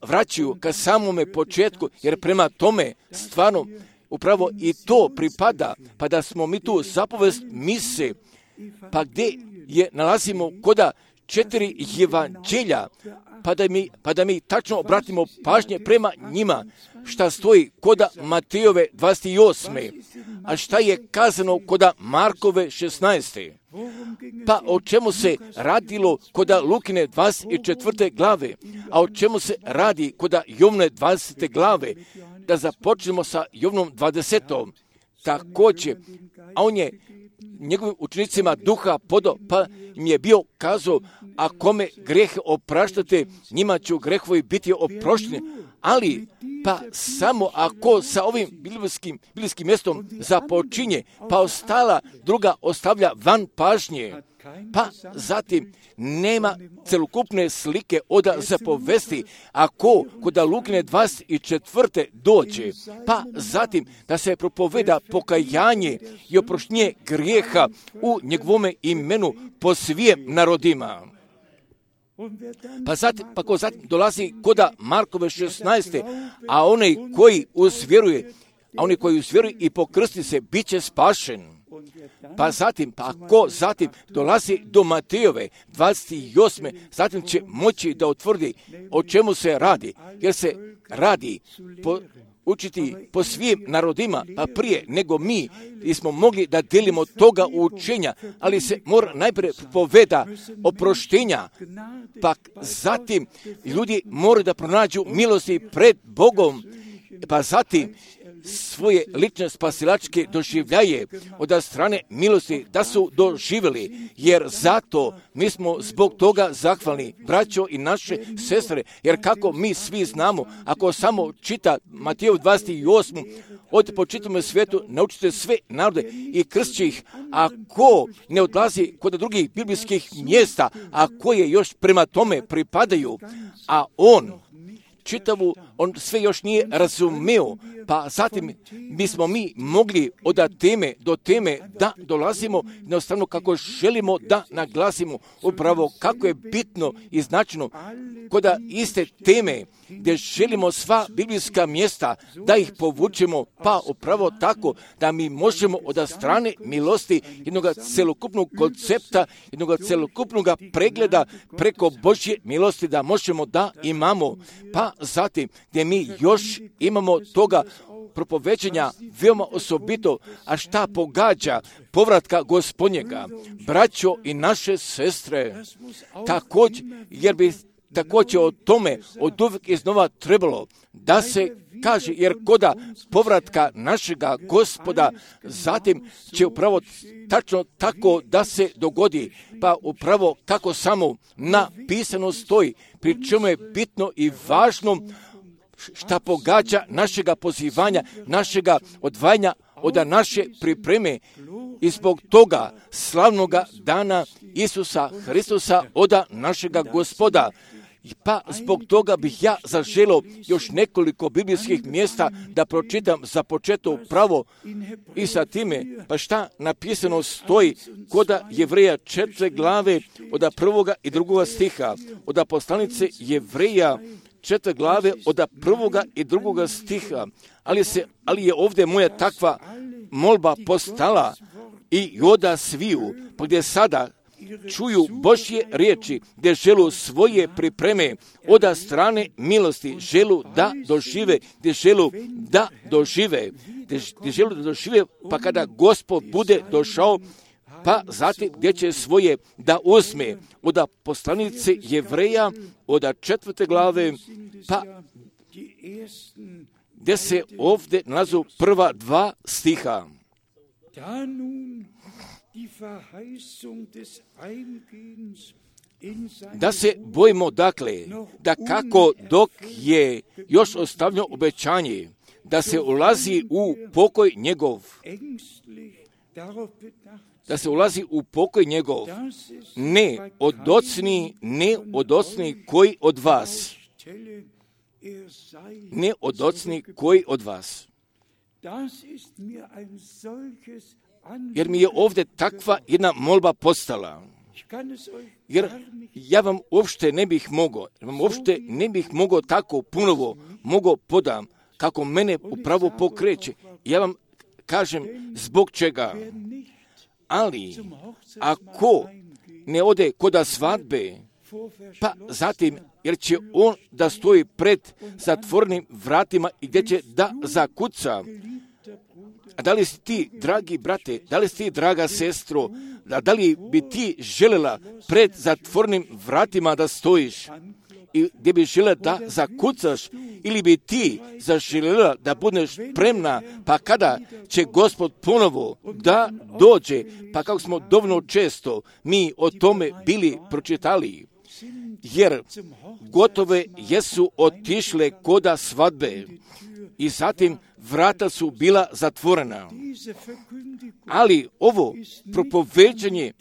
vraćaju ka samome početku, jer prema tome stvarno upravo i to pripada, pa da smo mi tu zapovest mise, pa gdje je nalazimo koda 4 evanđelja, pa da mi tačno obratimo pažnje prema njima, šta stoji koda Matejove 28. A šta je kazano koda Markove 16. Pa o čemu se radilo koda Lukine 24. glave, a o čemu se radi koda Jovne 20. glave, da započnemo sa Jovnom 20. Također, a on je njegovim učenicima duha podao, pa im je bio kazao, a kome grehe opraštate, njima će grehovi biti oprošteni, ali pa samo ako sa ovim biblijskim mjestom započinje, pa ostala druga ostavlja van pažnje, pa zatim nema celokupne slike od zapovesti, ako koda Lukine 24. dođe, pa zatim da se propoveda pokajanje i oproštenje grijeha u njegovome imenu po svim narodima. Pa ko zatim dolazi koda Markove 16. A oni koji uzvjeruje i pokrsti se, bit će spašen. Pa ako zatim dolazi do Matejove 28. zatim će moći da utvrdi o čemu se radi, jer se radi učiti po svim narodima, pa prije nego mi smo mogli da delimo toga učenja, ali se mora najprije poveda oproštenja, pa zatim ljudi moraju da pronađu milosti pred Bogom, pa zatim svoje lične spasilačke doživljaje od strane milosti da su doživjeli, jer zato mi smo zbog toga zahvalni, braćo i naše sestre, jer kako mi svi znamo, ako samo čita Mateju 28. od po čitavom svijetu naučite sve narode i krstiće ih, ako ne odlazi kod drugih biblijskih mjesta, a koje još prema tome pripadaju, a on sve još nije razumio, pa zatim bismo mi mogli od teme do teme da dolazimo jednostavno kako želimo da naglasimo upravo kako je bitno i značajno kod iste teme gdje želimo sva biblijska mjesta da ih povučemo, pa upravo tako da mi možemo od strane milosti jednog celokupnog koncepta, jednog celokupnog pregleda preko Božje milosti da možemo da imamo, pa zatim gdje mi još imamo toga propoveđenja veoma osobito, a šta pogađa povratka Gospodnjega, braćo i naše sestre, također, jer bi također o tome od uvijek iznova trebalo da se kaže, jer koda povratka našega Gospoda zatim će upravo tačno tako da se dogodi, pa upravo kako samo napisano stoji, pri čemu je bitno i važno šta pogađa našega pozivanja, našega odvajanja od naše pripreme i zbog toga slavnoga dana Isusa Hristusa od našega Gospoda. Pa zbog toga bih ja zaželio još nekoliko biblijskih mjesta da pročitam za početak pravo i sa time, pa šta napisano stoji koda Jevreja 4. glave od 1. i 2. stiha, od poslanice Jevreja 4. glave od 1. i 2. stiha, ali je ovdje moja takva molba postala i oda sviju, pa gdje sada čuju Božje riječi, gdje želu svoje pripreme od strane milosti, želu da dožive, gdje želu da dožive, pa kada Gospod bude došao, pa zatim gdje će svoje da uzme od poslanice Jevreja od 4. glave, pa gdje se ovdje nalazu prva 2 stiha. Da se bojimo dakle, da kako dok je još ostavljeno obećanje, da se ulazi u pokoj njegov, da se ulazi u pokoj njegov, ne od ocni koji od vas. Ne od ocni koji od vas. Jer mi je ovdje takva jedna molba postala. Jer ja vam uopšte ne bih mogao tako punovo podam kako mene upravo pokreće. Ja vam kažem zbog čega. Ali ako ne ode koda svadbe, pa zatim jer će on da stoji pred zatvorenim vratima i gdje će da zakuca. A da li si ti, dragi brate, da li si ti, draga sestro, da li bi ti željela pred zatvorenim vratima da stojiš i gdje bi željela da zakucaš, ili bi ti zaželjela da budeš spremna, pa kada će Gospod ponovo da dođe, pa kako smo dovoljno često mi o tome bili pročitali, jer gotove jesu otišle koda svadbe i zatim vrata su bila zatvorena. Ali ovo propoveđanje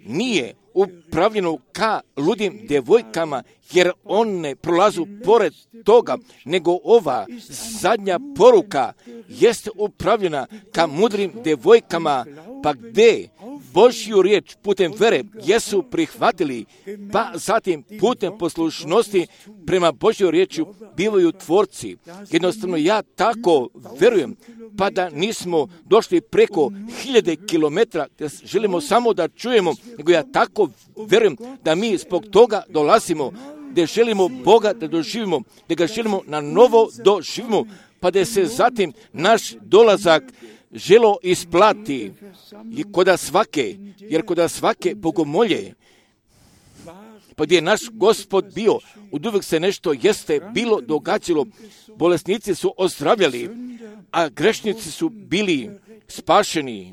nije upravljeno ka ludim djevojkama, jer one prolazu pored toga, nego ova zadnja poruka jeste upravljena ka mudrim djevojkama, pa gdje Božju riječ putem vere jesu prihvatili, pa zatim putem poslušnosti prema Božjoj riječi bivaju tvorci. Jednostavno ja tako verujem, pa da nismo došli preko 1000 kilometara, da želimo samo da čujemo, nego ja tako verujem da mi zbog toga dolazimo, da želimo Boga da doživimo, da ga želimo na novo doživimo, pa da se zatim naš dolazak želo isplati jer koda svake bogomolje, pa gdje je naš Gospod bio, oduvijek se nešto jeste bilo događalo, bolesnici su ozdravljali, a grešnici su bili spašeni.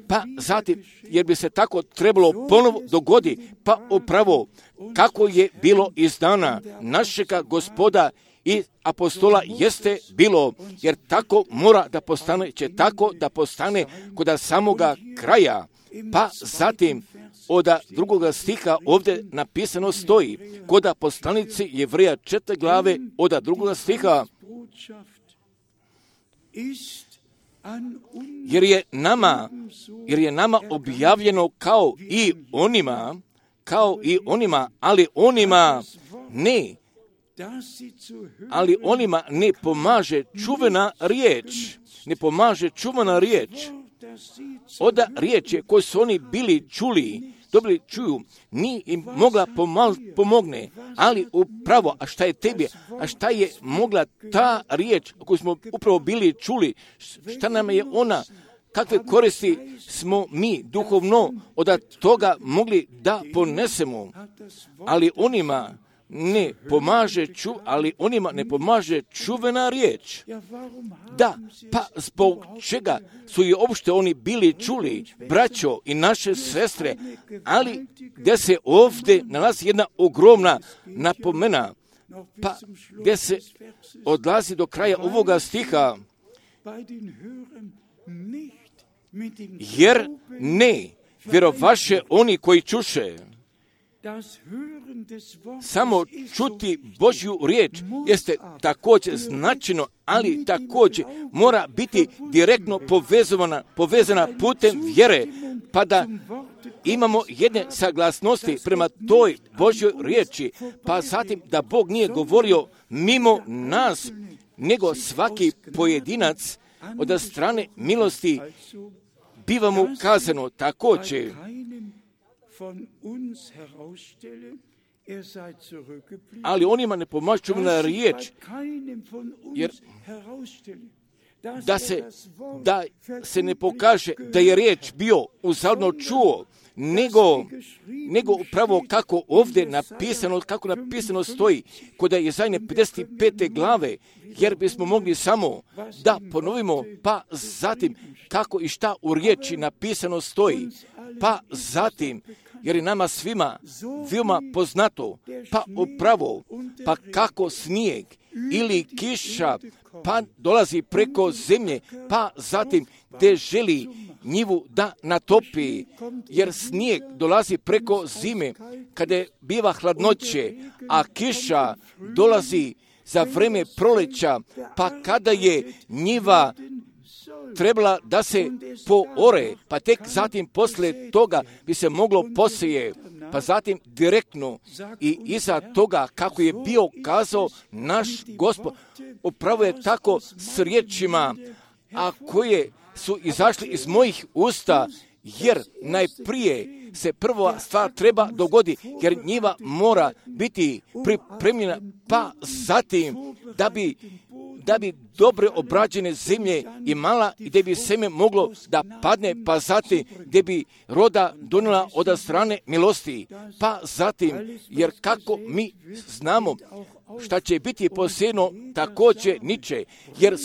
Pa zatim, jer bi se tako trebalo ponovo dogodi, pa upravo kako je bilo iz dana našega Gospoda i apostola jeste bilo, jer tako mora da postane, će tako da postane koda samoga kraja. Pa zatim od drugoga stiha ovdje napisano stoji, koda poslanici Jevreja 4. glave od drugoga stiha, jer je nama objavljeno kao i onima, ali onima ne pomaže čuvena riječ. Od riječi koju su oni bili čuju, nije im mogla pomogne, ali upravo, a šta je mogla ta riječ koju smo upravo bili čuli, šta nam je ona, kakve koristi smo mi duhovno od toga mogli da ponesemo, ali onima ne pomaže čuvena riječ. Da, pa zbog čega su i uopšte oni bili čuli, braćo i naše sestre, ali gdje se ovdje nalazi jedna ogromna napomena, pa gdje se odlazi do kraja ovoga stiha, jer ne vjerovaše oni koji čuše. Samo čuti Božju riječ jeste također značajno, ali također mora biti direktno povezana putem vjere, pa da imamo jedne saglasnosti prema toj Božjoj riječi, pa zatim da Bog nije govorio mimo nas, nego svaki pojedinac od strane milosti biva mu kazano također. Ali onima ne pomaže čuvena riječ, jer da se ne pokaže da je riječ bio uzaludno čuo, nego upravo kako ovdje napisano stoji kod Jesaje 55. glave, jer bismo mogli samo da ponovimo, pa zatim kako i šta u riječi napisano stoji, pa zatim, jer je nama svima veoma poznato, pa upravo, pa kako snijeg ili kiša pa dolazi preko zemlje, pa zatim gdje želi njivu da natopi, jer snijeg dolazi preko zime, kada biva hladnoće, a kiša dolazi za vreme proleća, pa kada je njiva trebala da se poore, pa tek zatim posle toga bi se moglo poseje, pa zatim direktno i iza toga kako je bio kazao naš Gospod, upravo je tako s riječima, a koje su izašli iz mojih usta, jer najprije se prva stvar treba dogoditi, jer njiva mora biti pripremljena, pa zatim da bi dobre obrađene zemlje imala i da bi seme moglo da padne, pa zatim gdje bi roda donijela od strane milosti, pa zatim, jer kako mi znamo šta će biti posejano, također niče, jer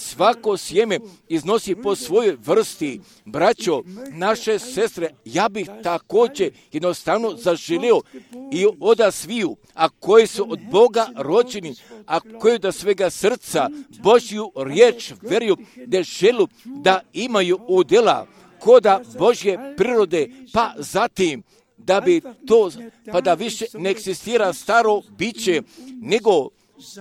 svako sjeme iznosi po svojoj vrsti. Braćo, naše sestre, ja bih također jednostavno zaželio i od sviju, a koji su od Boga rođeni, a koji do svega srca Božju riječ veruju, da želu da imaju udjela koda Božje prirode, pa zatim da bi to, pa da više ne eksistira staro biće, nego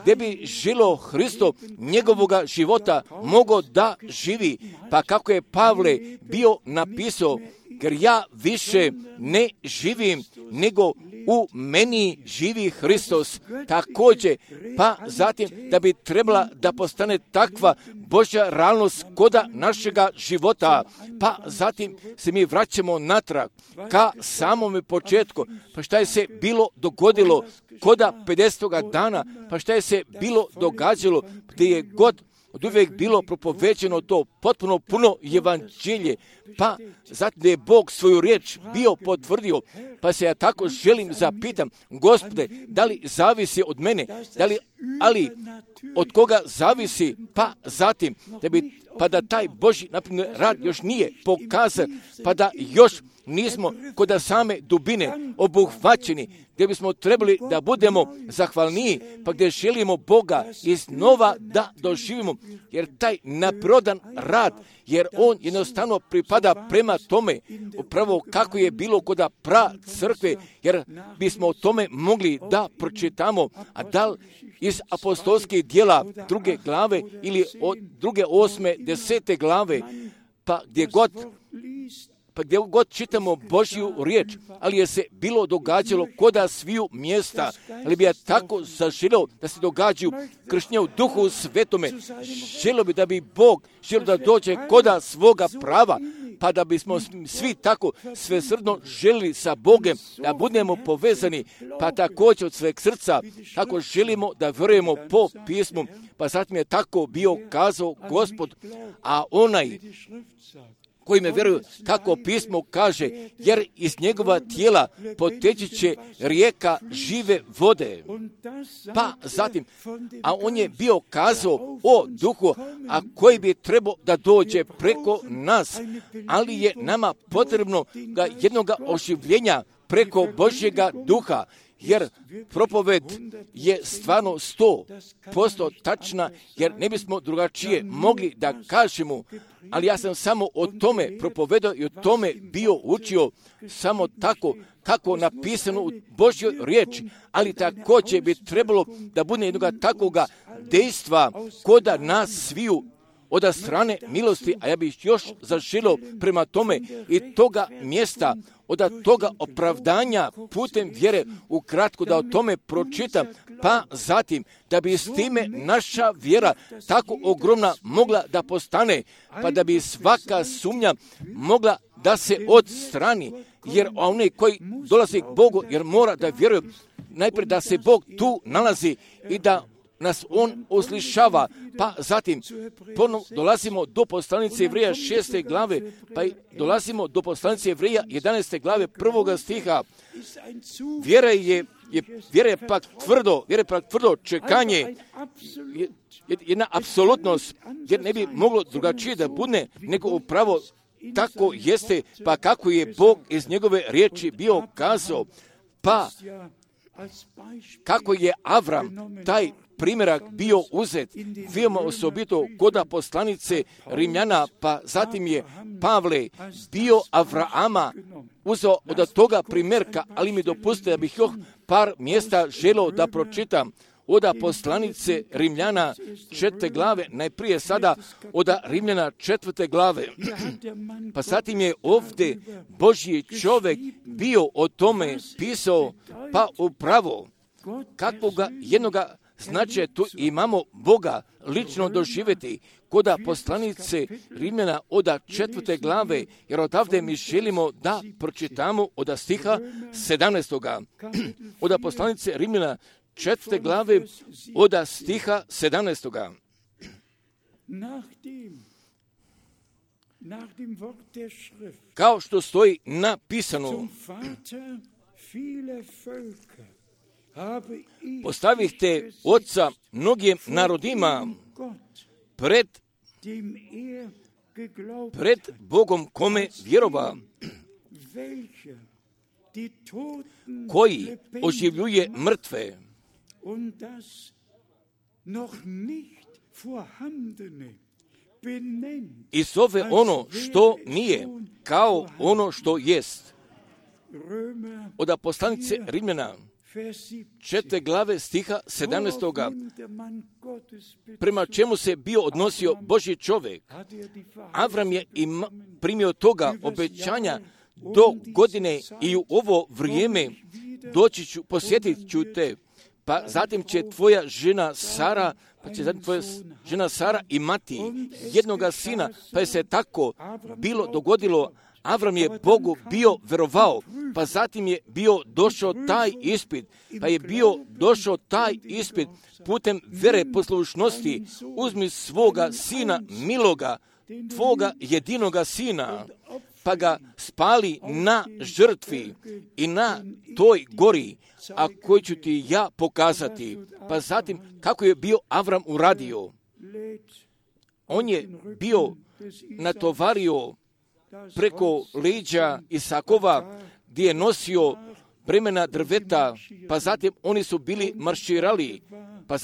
gdje bi žilo Hristo njegovoga života mogao da živi. Pa kako je Pavle bio napisao, jer ja više ne živim, nego u meni živi Hristos. Također, pa zatim da bi trebala da postane takva Božja realnost koda našega života. Pa zatim se mi vraćamo natrag ka samome početku. Pa šta je se bilo dogodilo koda 50. dana? Pa šta je se bilo događalo gdje je god od uvijek bilo propovećeno to potpuno puno evanđelje, pa zatim da je Bog svoju riječ bio potvrdio, pa se ja tako želim zapitam, Gospode, da li zavisi od mene, ali od koga zavisi, pa zatim pa da taj Božji naprimjer rad još nije pokazan, pa da još nismo kod same dubine obuhvaćeni, gdje bismo trebali da budemo zahvalniji, pa gdje želimo Boga iznova da doživimo, jer taj naprodan rad, jer on jednostavno pripada prema tome, upravo kako je bilo kod pra crkve, jer bismo o tome mogli da pročitamo, a da li iz apostolskih dijela 2. glave ili od 2., 8., 10. glave, pa gdje god čitamo Božju riječ, ali je se bilo događalo koda sviju mjesta, ali bi ja tako zaželio da se događaju krštenja u Duhu Svetome. Želio bi da bi Bog želio da dođe koda svoga prava, pa da bismo svi tako svesrdno želili sa Bogem, da budemo povezani, pa također od sveg srca, tako želimo da vjerujemo po pismu, pa zatim je tako bio kazao Gospod, a onaj koji me vjeruju, kako pismo kaže, jer iz njegova tijela poteći će rijeka žive vode. Pa zatim, a on je bio kazao o duhu, a koji bi trebao da dođe preko nas, ali je nama potrebno jednog oživljenja preko Božjega duha, jer propoved je stvarno 100% tačna, jer ne bismo drugačije mogli da kažemo, ali ja sam samo o tome propovedao i o tome bio učio, samo tako kako napisano u Božjoj riječi, ali također bi trebalo da bude jednoga takvoga dejstva koda nas sviju od strane milosti, a ja bih još zaželio prema tome i toga mjesta, od toga opravdanja putem vjere, ukratko da o tome pročitam, pa zatim da bi s time naša vjera tako ogromna mogla da postane, pa da bi svaka sumnja mogla da se odstrani, jer onaj koji dolazi k Bogu, jer mora da vjeruje najprije da se Bog tu nalazi i da nas on uslišava, pa zatim ponovno dolazimo do poslanice Jevreja 6. glave, pa dolazimo do poslanice Jevreja 11. glave 1. stiha. Vjera je pak tvrdo čekanje, jedna apsolutnost, jer ne bi moglo drugačije da bude, nego upravo tako jeste, pa kako je Bog iz njegove riječi bio kazao, pa kako je Avram taj primjerak bio uzet, veoma osobito kod poslanice Rimljana, pa zatim je Pavle bio Avrama uzeo od toga primjerka, ali mi dopustite da bih još par mjesta želio da pročitam od poslanice Rimljana 4. glave, najprije sada od Rimljana 4. glave. Pa zatim je ovdje Božji čovjek bio o tome pisao, pa upravo kakvoga jednoga značaja tu imamo Boga lično doživjeti kod poslanice Rimljana od 4. glave, jer odavde mi želimo da pročitamo od stiha 17. Od poslanice Rimljana 4. glave od stiha 17. Kao što stoji napisano, postavihte oca mnogim narodima pred Bogom kome vjerova, koji oživljuje mrtve i zove ono što nije kao ono što jest. Od poslanice Rimljana 4. glave stiha 17. Prema čemu se bio odnosio Božji čovjek. Avram je primio toga obećanja do godine i u ovo vrijeme doći ću, posjetit ću te, pa zatim će tvoja žena Sara imati jednoga sina, pa je se tako bilo dogodilo. Avram je Bogu bio verovao, pa zatim je bio došao taj ispit, putem vere poslušnosti. Uzmi svoga sina miloga, tvoga jedinoga sina, pa ga spali na žrtvi i na toj gori, a koju ću ti ja pokazati. Pa zatim kako je bio Avram uradio. On je bio natovario preko leđa Isakova, gdje je nosio bremena drveta, pa zatim oni su bili marširali, pa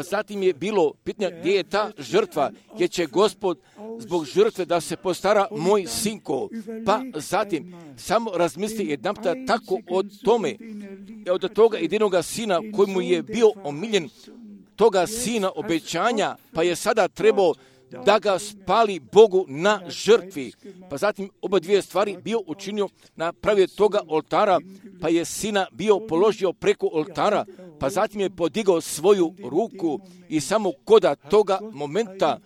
zatim je bilo pitanje gdje je ta žrtva, gdje će Gospod zbog žrtve da se postara moj sinko, pa zatim samo razmisli jedanputa tako o tome, od toga jedinoga sina koji mu je bio omiljen, toga sina obećanja, pa je sada trebao da ga spali Bogu na žrtvi. Pa zatim oba dvije stvari bio učinio, napravio toga oltara, pa je sina bio položio preko oltara, pa zatim je podigao svoju ruku i samo koda toga momenta,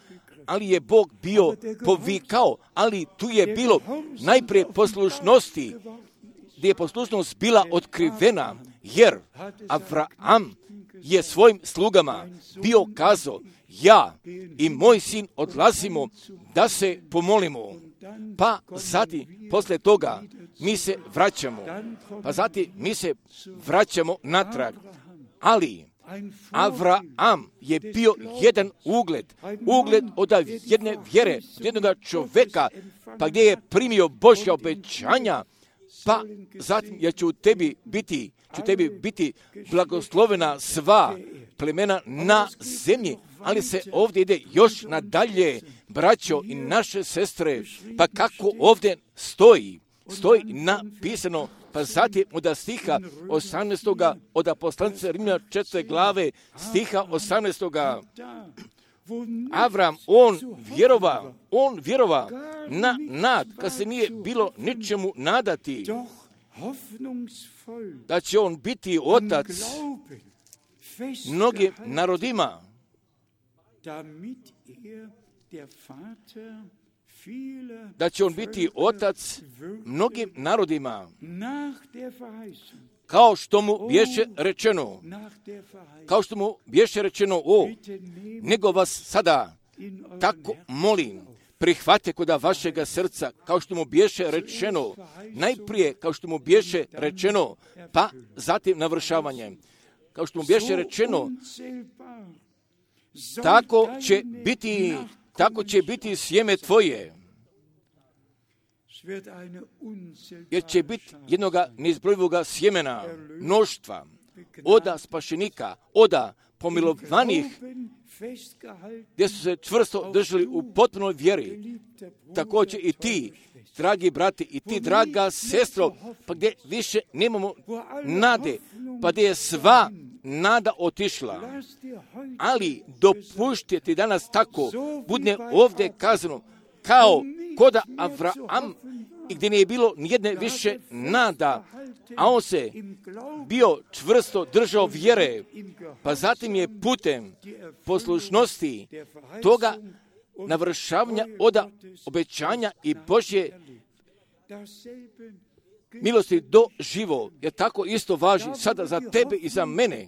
ali je Bog bio povikao, ali tu je bilo najprije poslušnosti, gdje je poslušnost bila otkrivena, jer Avram je svojim slugama bio kazao, ja i moj sin odlazimo da se pomolimo. Pa zatim, poslije toga, mi se vraćamo natrag. Ali Avram je bio jedan ugled od jedne vjere, od jednoga čovjeka, pa gdje je primio Božja obećanja, pa zatim ja ću tebi biti blagoslovena sva plemena na zemlji, ali se ovdje ide još nadalje, braćo i naše sestre, pa kako ovdje stoji napisano, pa zatim od stiha 18. od poslanice Rimljana 4. glave stiha 18. Avram, on vjerova na nad, kad se nije bilo ničemu nadati, da će on biti otac mnogim narodima, kao što mu bješe rečeno, nego vas sada tako molim, prihvate koda vašega srca, kao što mu bješe rečeno, najprije kao što mu bješe rečeno, pa zatim navršavanje. Kao što mu bješe rečeno, tako će biti sjeme tvoje. jer će biti jednoga neizbrojivoga sjemena, mnoštva, oda spašenika, oda pomilovanih, gdje su se čvrsto držali u potpunoj vjeri. Također i ti, dragi brati, i ti, draga sestro, pa gdje više nemamo nade, pa gdje je sva nada otišla. Ali dopušti ti danas tako, budne ovdje kazano, kao koda Avraam, i gdje nije bilo nijedne više nada, a on se bio čvrsto držao vjere, pa zatim je putem poslušnosti toga navršavanja oda obećanja i Božje milosti doživo, jer tako isto važi sada za tebe i za mene,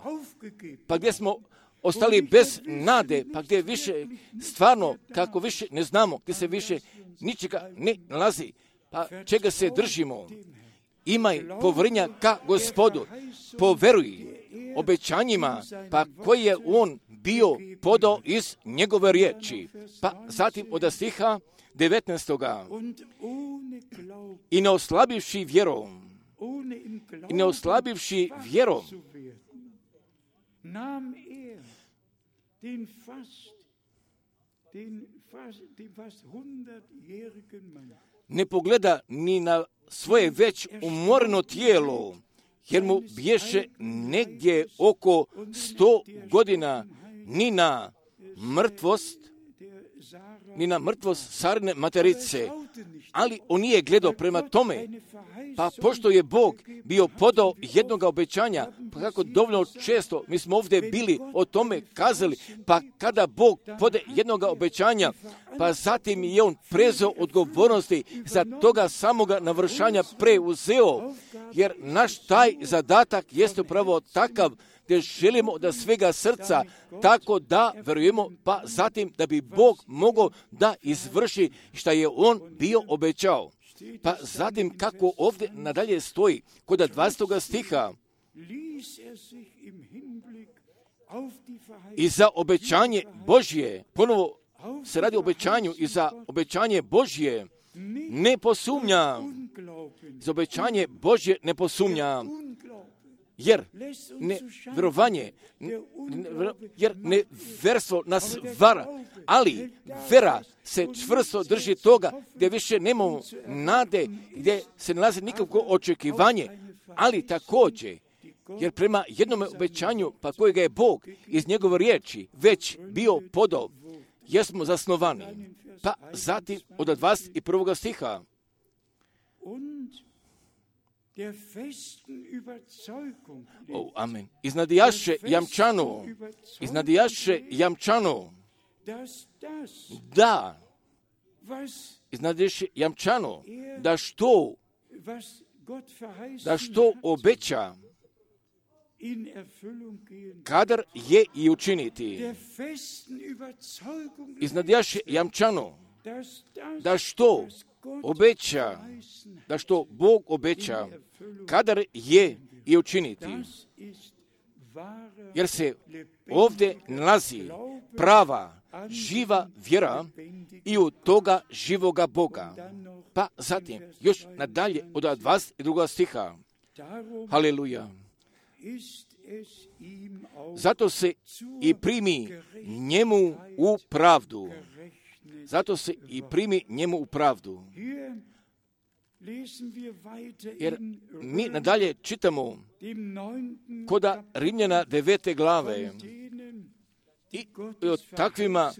pa gdje smo ostali bez nade, pa gdje više stvarno, kako više ne znamo, gdje se više ničega ne nalazi, pa čega se držimo, imaj poverenja ka Gospodu, poveruj obećanjima, pa koji je on bio podao iz njegove riječi. Pa zatim od stiha 19. I ne oslabivši vjerom, ne pogleda ni na svoje već umoreno tijelo, jer mu bješe negdje oko 100 godina, ni na mrtvost Sarine materice, ali on nije gledao prema tome, pa pošto je Bog bio podao jednog obećanja, pa kako dovoljno često mi smo ovdje bili o tome kazali, pa kada Bog pode jednog obećanja, pa zatim je on prezeo odgovornosti za toga samoga navršanja preuzeo, jer naš taj zadatak jeste upravo takav, gdje želimo da svega srca tako da verujemo, pa zatim da bi Bog mogao da izvrši što je on bio obećao. Pa zatim kako ovdje nadalje stoji kod 20. stiha, i za obećanje Božje, ponovo se radi o obećanju, i za obećanje Božje ne posumnja. Za obećanje Božje ne posumnja. Jer neverstvo nas vara, ali vera se čvrsto drži toga gdje više nemamo nade, gdje se nalazi nikakvo očekivanje, ali također, jer prema jednom obećanju, pa kojega je Bog iz njegove riječi već bio podao, jesmo zasnovani. Pa zatim od 21. stiha, amen. Iznadijaše jamčano, da, iznadijaše jamčano, da što obeća, kadar je i učiniti. Iznadijaše jamčano, da što obeća, da što Bog obeća, kadar je i učiniti. Jer se ovdje nalazi prava, živa vjera i u toga živoga Boga. Pa zatim, još nadalje od 22. stiha. Haleluja. Zato se i primi njemu u pravdu. Zato se i primi njemu u pravdu. Jer mi nadalje čitamo koda Rimljana 9. glave i o takvima,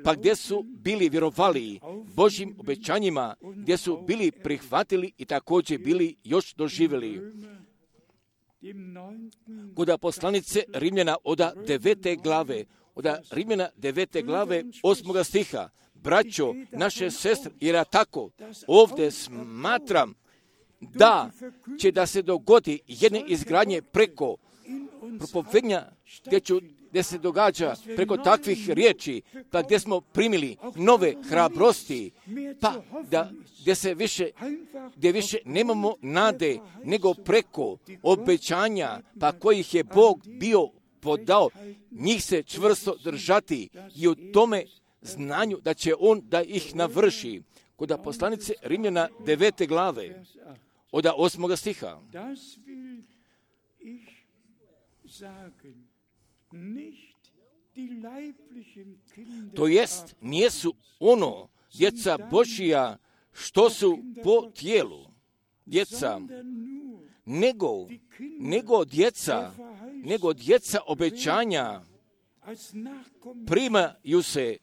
pa gdje su bili vjerovali Božjim obećanjima, gdje su bili prihvatili i također bili još doživjeli. Koda poslanice Rimljana od 9. glave, od Rimljana 9. glave 8. stiha, braćo, naše sestre, jer ja tako ovdje smatram da će da se dogodi jedne izgradnje preko propovednja gdje se događa preko takvih riječi, pa gdje smo primili nove hrabrosti, pa gdje više nemamo nade, nego preko obećanja, pa kojih je Bog bio podao, njih se čvrsto držati i u tome znanju da će on da ih navrši. kod poslanice Rimljana 9. glave, od 8. stiha. To jest, nijesu ono djeca Božija što su po tijelu djeca, nego djeca obećanja primaju se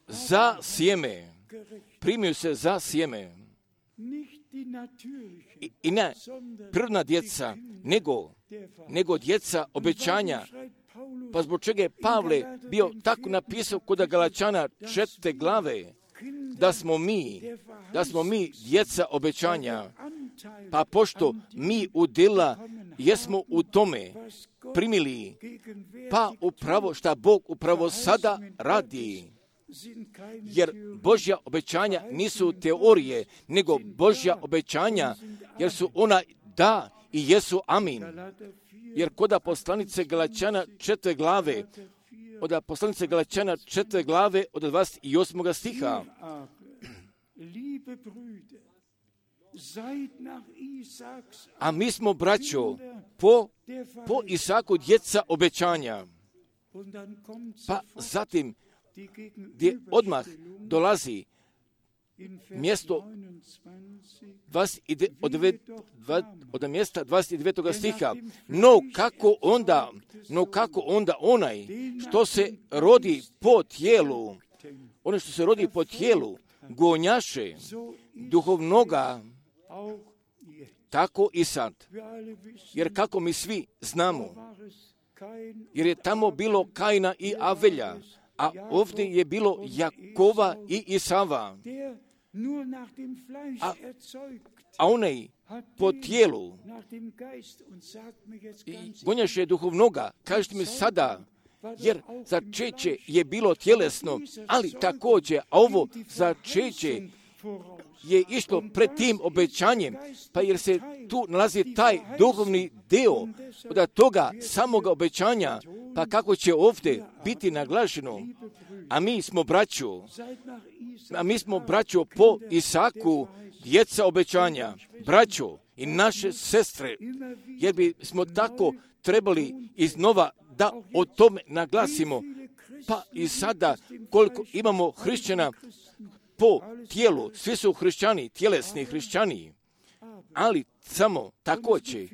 za sjeme. I ne prirodna djeca, nego djeca obećanja. Pa zbog čega je Pavle bio tako napisao kod Galačana 4. glave, da smo mi djeca obećanja. Pa pošto mi udjela jesmo u tome primili, pa upravo šta Bog upravo sada radi. Jer Božja obećanja nisu teorije, nego Božja obećanja, jer su ona da i jesu amin. Jer kod poslanice Galačana 4. glave, od poslanice Galačana 4. glave od 28. stiha. A mi smo, braćo, po Isaku djeca obećanja. Pa zatim, gdje odmah dolazi mjesto od mjesta 29. stiha. No kako onda onaj što se rodi po tijelu, ono što se rodi po tijelu, gonjaše duhovnoga, tako i sad. Jer kako mi svi znamo, jer je tamo bilo Kaina i Avelja, a ovdje je bilo Jakova i Isava. A onaj po tijelu gonjaše duhovnoga, kažete mi sada, jer začeće je bilo tjelesno, ali također, a ovo začeće je išlo pred tim obećanjem, pa jer se tu nalazi taj duhovni dio od toga samoga obećanja, pa kako će ovdje biti naglašeno. A mi smo braćo po Isaku, djeca obećanja, braćo i naše sestre, jer bi smo tako trebali iznova da o tome naglasimo. Pa i sada koliko imamo hrišćana po tijelu, svi su hrišćani, tjelesni hrišćani, ali samo također,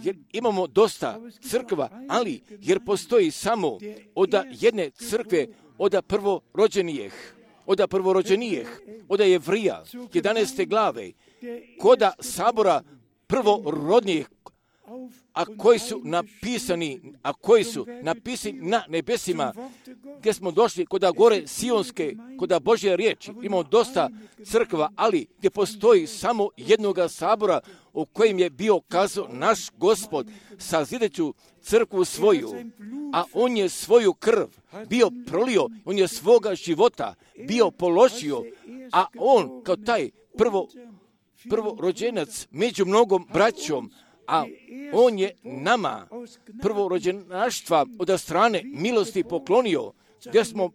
jer imamo dosta crkva, ali jer postoji samo od jedne crkve, od prvorođenijeh, od Jevrija, 11. glave, koda sabora prvorodnijih, a koji su napisani na nebesima, gdje smo došli kod gore Sionske, kod Božje riječi. Imamo dosta crkva, ali gdje postoji samo jednoga sabora u kojem je bio kazao naš Gospod, sazideću crkvu svoju, a on je svoju krv bio prolio, on je svoga života bio položio, a on kao taj prvorođenac među mnogom braćom, a on je nama prvorođenaštva od strane milosti poklonio, gdje smo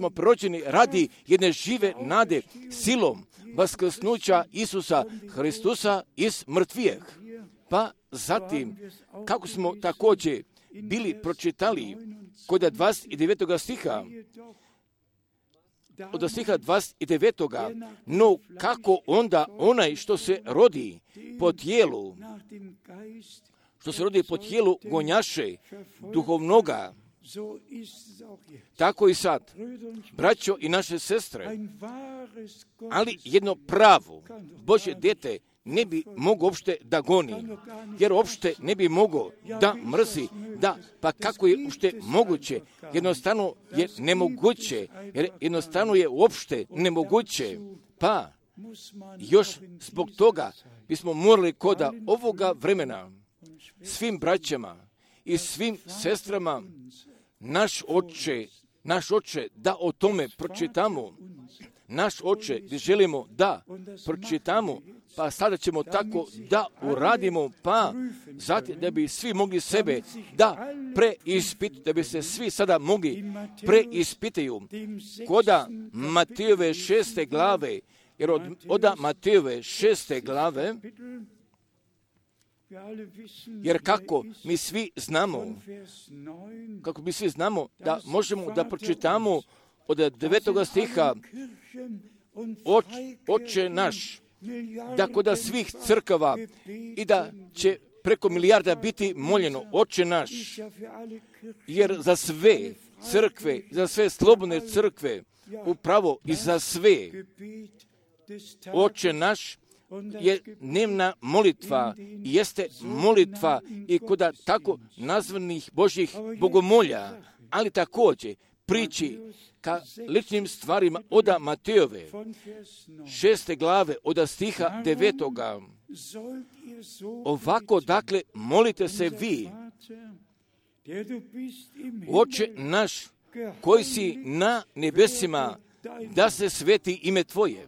prorođeni radi jedne žive nade silom vaskrsnuća Isusa Hristusa iz mrtvijeh. Pa zatim, kako smo također bili pročitali kod 29. stiha, od stiha 29. No kako onda onaj što se rodi po tijelu, gonjaše duhovnoga, tako i sad, braćo i naše sestre, ali jedno pravo Božje dijete ne bi mogao uopšte da goni, jer uopšte ne bi mogao da mrzi, pa kako je uopšte moguće, jednostavno je nemoguće, jer jednostavno je uopšte nemoguće, pa još zbog toga bismo morali koda ovoga vremena svim braćama i svim sestrama naš oče da o tome pročitamo, naš oče gdje želimo da pročitamo, pa sada ćemo tako da uradimo, pa zatim da bi svi mogli sebe da preispitaju, da bi se svi sada mogli preispitaju. Koda Matejove 6. glave Jer od Matejove 6. glave, jer kako mi svi znamo da možemo da pročitamo od 9. stiha Oče naš, da kod svih crkava i da će preko milijarda biti moljeno Oče naš, jer za sve crkve, za sve slobodne crkve, upravo i za sve Oče naš je dnevna molitva, jeste molitva i kod tako nazvanih Božjih bogomolja, ali također priči ka ličnim stvarima od Matejove 6. glave od stiha 9. Ovako, dakle, molite se vi, Oče naš, koji si na nebesima, da se sveti ime Tvoje.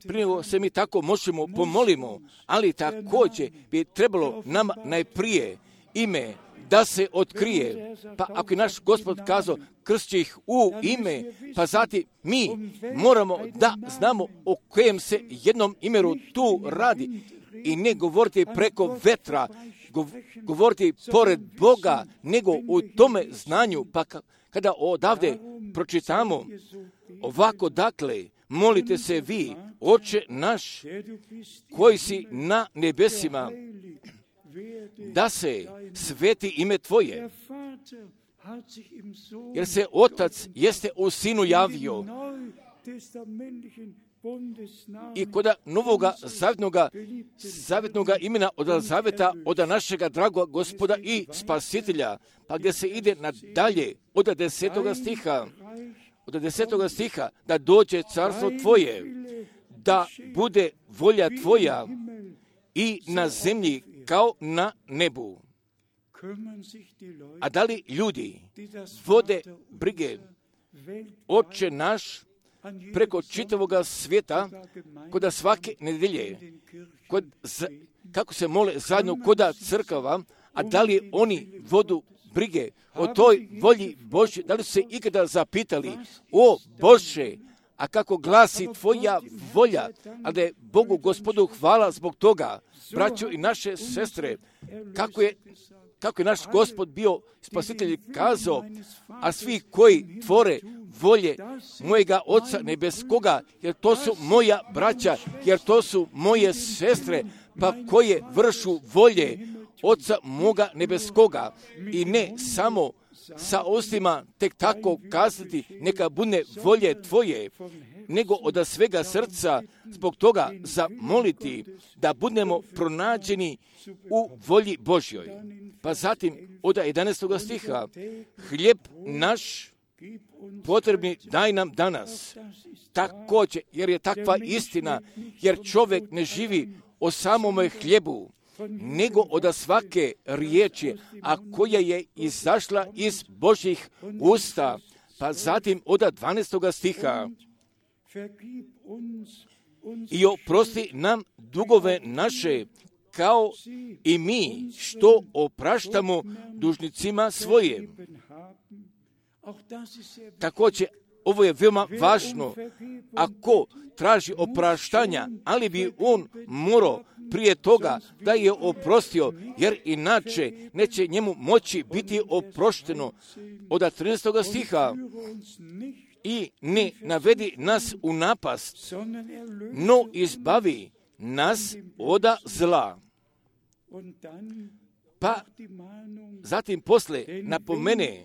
Prije se mi tako možemo pomolimo, ali također bi trebalo nam najprije ime da se otkrije. Pa ako je naš Gospod kazao, krst će ih u ime, pa zatim mi moramo da znamo o kojem se jednom imenu tu radi i ne govoriti preko vetra, govoriti pored Boga, nego u tome znanju. Pa kada odavde pročitamo ovako, dakle, molite se vi, Oče naš, koji si na nebesima, da se sveti ime Tvoje. Jer se Otac jeste u Sinu javio. I kod novoga zavjetnoga imena od zavjeta od našega dragoga Gospoda i Spasitelja, pa gdje se ide nadalje od 10. stiha, od 10. stiha, da dođe carstvo Tvoje, da bude volja Tvoja i na zemlji kao na nebu. A da li ljudi vode brige Oče naš preko čitavoga svijeta, kod svake nedelje, kako se mole zajedno kod crkava, a da li oni vodu brige o toj volji Božje, da li su se ikada zapitali, o Bože, a kako glasi Tvoja volja, a da je Bogu Gospodu hvala zbog toga, braćo i naše sestre, kako je naš Gospod bio Spasitelj kazao, a svi koji tvore volje mojega Oca nebeskoga, jer to su moja braća, jer to su moje sestre, pa koje vršu volje Oca moga nebeskoga, i ne samo sa ustima tek tako kazati neka bude volje Tvoje, nego od svega srca zbog toga zamoliti da budemo pronađeni u volji Božjoj. Pa zatim od 11. stiha, hljeb naš potrebni daj nam danas. Također, jer je takva istina, jer čovjek ne živi o samome hljebu, nego od svake riječi, a koja je izašla iz Božjih usta. Pa zatim od 12. stiha, i oprosti nam dugove naše, kao i mi što opraštamo dužnicima svojim. Također, ovo je veoma važno. Ako traži opraštanja, ali bi on morao prije toga da je oprostio, jer inače neće njemu moći biti oprošteno. Od 13. stiha, i ne navedi nas u napast, no izbavi nas od zla. Pa zatim posle napomene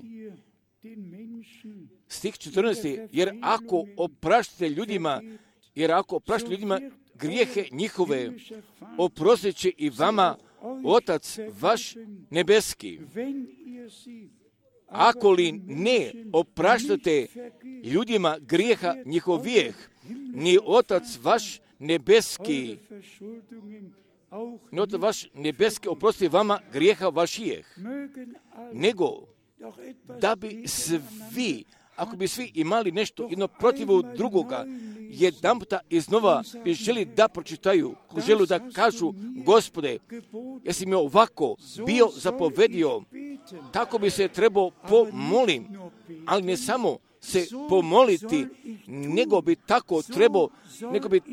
stih 14. Jer ako opraštate ljudima grijehe njihove, oprostit će i vama Otac vaš nebeski. Ako li ne opraštate ljudima grijeha njihovijeh, ni Otac vaš nebeski, oprosti vama grijeha vašijeh. Nego, da bi svi, ako bi svi imali nešto jedno protiv drugoga, jedan puta iznova bi želi da pročitaju, želi da kažu, Gospode, jesi mi ovako bio zapovedio, tako bi se trebao pomolim, ali ne samo se pomoliti, nego bi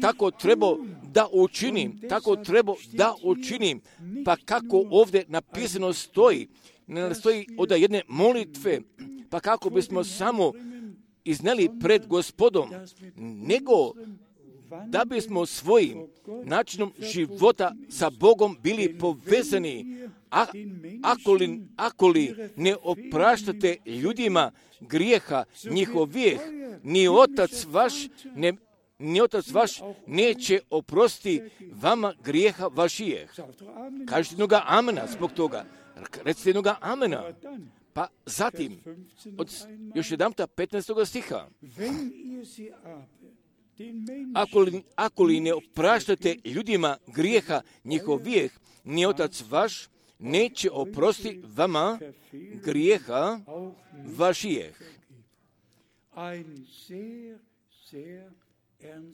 tako trebao da učinim, pa kako ovdje napisano stoji, ne stoji od jedne molitve, pa kako bismo samo izneli pred Gospodom, nego da bismo svojim načinom života sa Bogom bili povezani. Ako li ne opraštate ljudima grijeha njihovih, ni Otac vaš neće oprostiti vama grijeha vašijeh. Kažete jednoga amena zbog toga. Recite jednoga amena. Pa zatim, još jedanputa 15. stiha. Ako li ne opraštate ljudima grijeha njihovih, ni Otac vaš neće oprostiti vama grijeha vašijeh.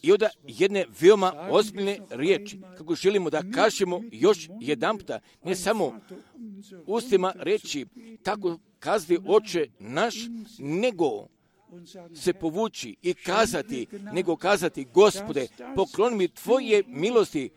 I onda jedne veoma ozbiljne riječi, kako želimo da kažemo još jedanputa, ne samo ustima reći, tako kazati Oče naš, nego se povući i kazati, Gospode, pokloni mi Tvoje milosti,